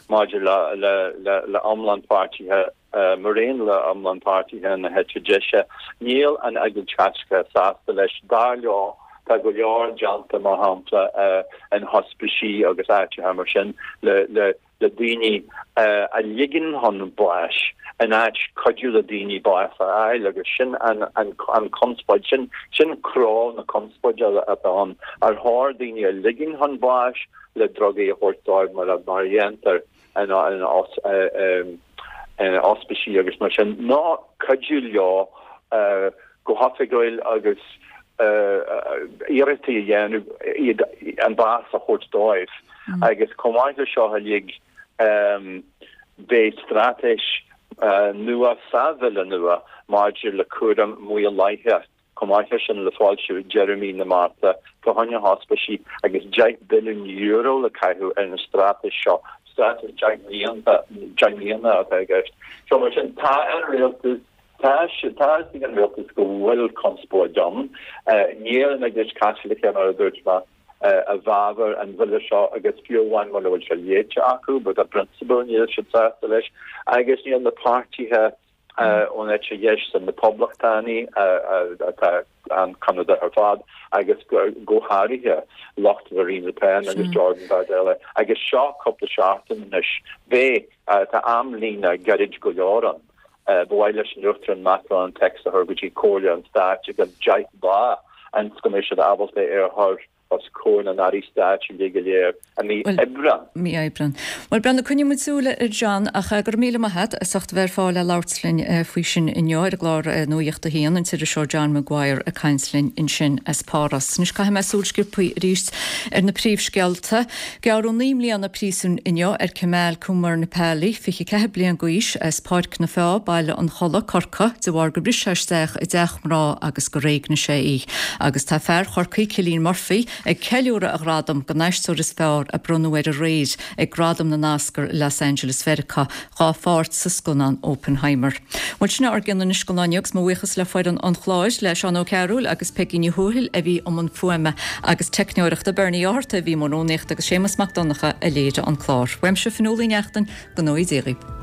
maidir le iomlán páirtithe Mar aon le iomlán páirtithe na heite deise, níl an Eaglais Chaitliceach sásta leis. Dar leo, tá go leor déanta, mar shampla, in hospicí agus áiteacha mar sin le daoine a ligean chun báis in áit cuidiú le daoine bás a fháil agus sin an conspóid, sin croí na conspóide atá ann. Ar chóir daoine a ligean chun báis le drugaí a thabhairt dóibh mar a dhéantar? in ospicí agus mar sin, nó cuidiú leo go hoifigiúil agus iarrachtaí a dhéanamh iad an bás a thabhairt dóibh. Agus chomh maith le seo uilig, beidh straitéis nua sa bhille nua maidir le cúram maolaithe. Chomh maith leis sin, le foilsiú deireadh mí na Márta fá choinne hospicí agus €10 billiún le caitheamh ar an straitéis seo, straitéis 10 mblianta, 10 mbliana atá i gceist. So mar sin, tá an rialtas, tá tá fhios ag an rialtas go bhfuil conspóid ann. Níl an Eaglais Chaitliceach, mar a dúirt mé, i bhfabhar an bhille seo agus fiú amháin mura bhfuil sé léite acu, but i bprionsabal níl siad sásta leis agus níl na páirtithe ón eite dheis sin na Poblachtánaigh atá an-choimeádach ar fad agus go háirithe lucht Marine Le Pen agus Jordan Bardella agus seo cúpla seachtain anois. Beidh, tá amlíne gairid go leor ann. Ba mhaith leis an Uachtarán Macron an téacs a chur go dtí Comhairle an Stáit i gceann 10 lá ionas go mbeidh siad ábalta é a chur os comhair na n-airí stáit uilig go léir i mí Aibreán. Mí Aibreán. Bhuel, Breandán, coinneoidh muid súil air John, ach go raibh míle maith agat as ucht a bheith ar fáil le labhairt linn faoi sin inniu ar an gclár Nuacht a hAon, an t-iriseoir John Maguire ag caint linn ansin as Páras. Anois caithfidh mé súil sciobthaí arís ar na príomhscéalta. Gearradh 9 mbliana príosúin inniu ar Kemal Kumarnapalli, 24 bliain d'aois, as Páirc na Feá, Baile an Chollaigh, Corcaigh, de bharr gur bhris sé isteach i dteach mná agus gur éignigh sé í. Agus tá fear Chorcaí, Cillian Murphy, ag ceiliúradh a ghradam don aisteoir is fearr a bronnadh air aréir ag Gradaim na nOscar i Los Angeles Mheiriceá dhá pháirt sa scannán Oppenheimer. Bhuel, sin é ár gcion anois don lá inniu agus mo bhuíochas le foireann an chláir, le Seán Ó Cearúil agus Peigí Ní Thuathail a bhí i mbun fuaime agus teicneoireachta, Bernie Ó hEarta a bhí i mbun rúnaíochta agus Séamus Mac Donncha a léirigh an clár. Uaimse Fionnuala Uí Neachtain, go ngnóthaí Dia dhaoibh.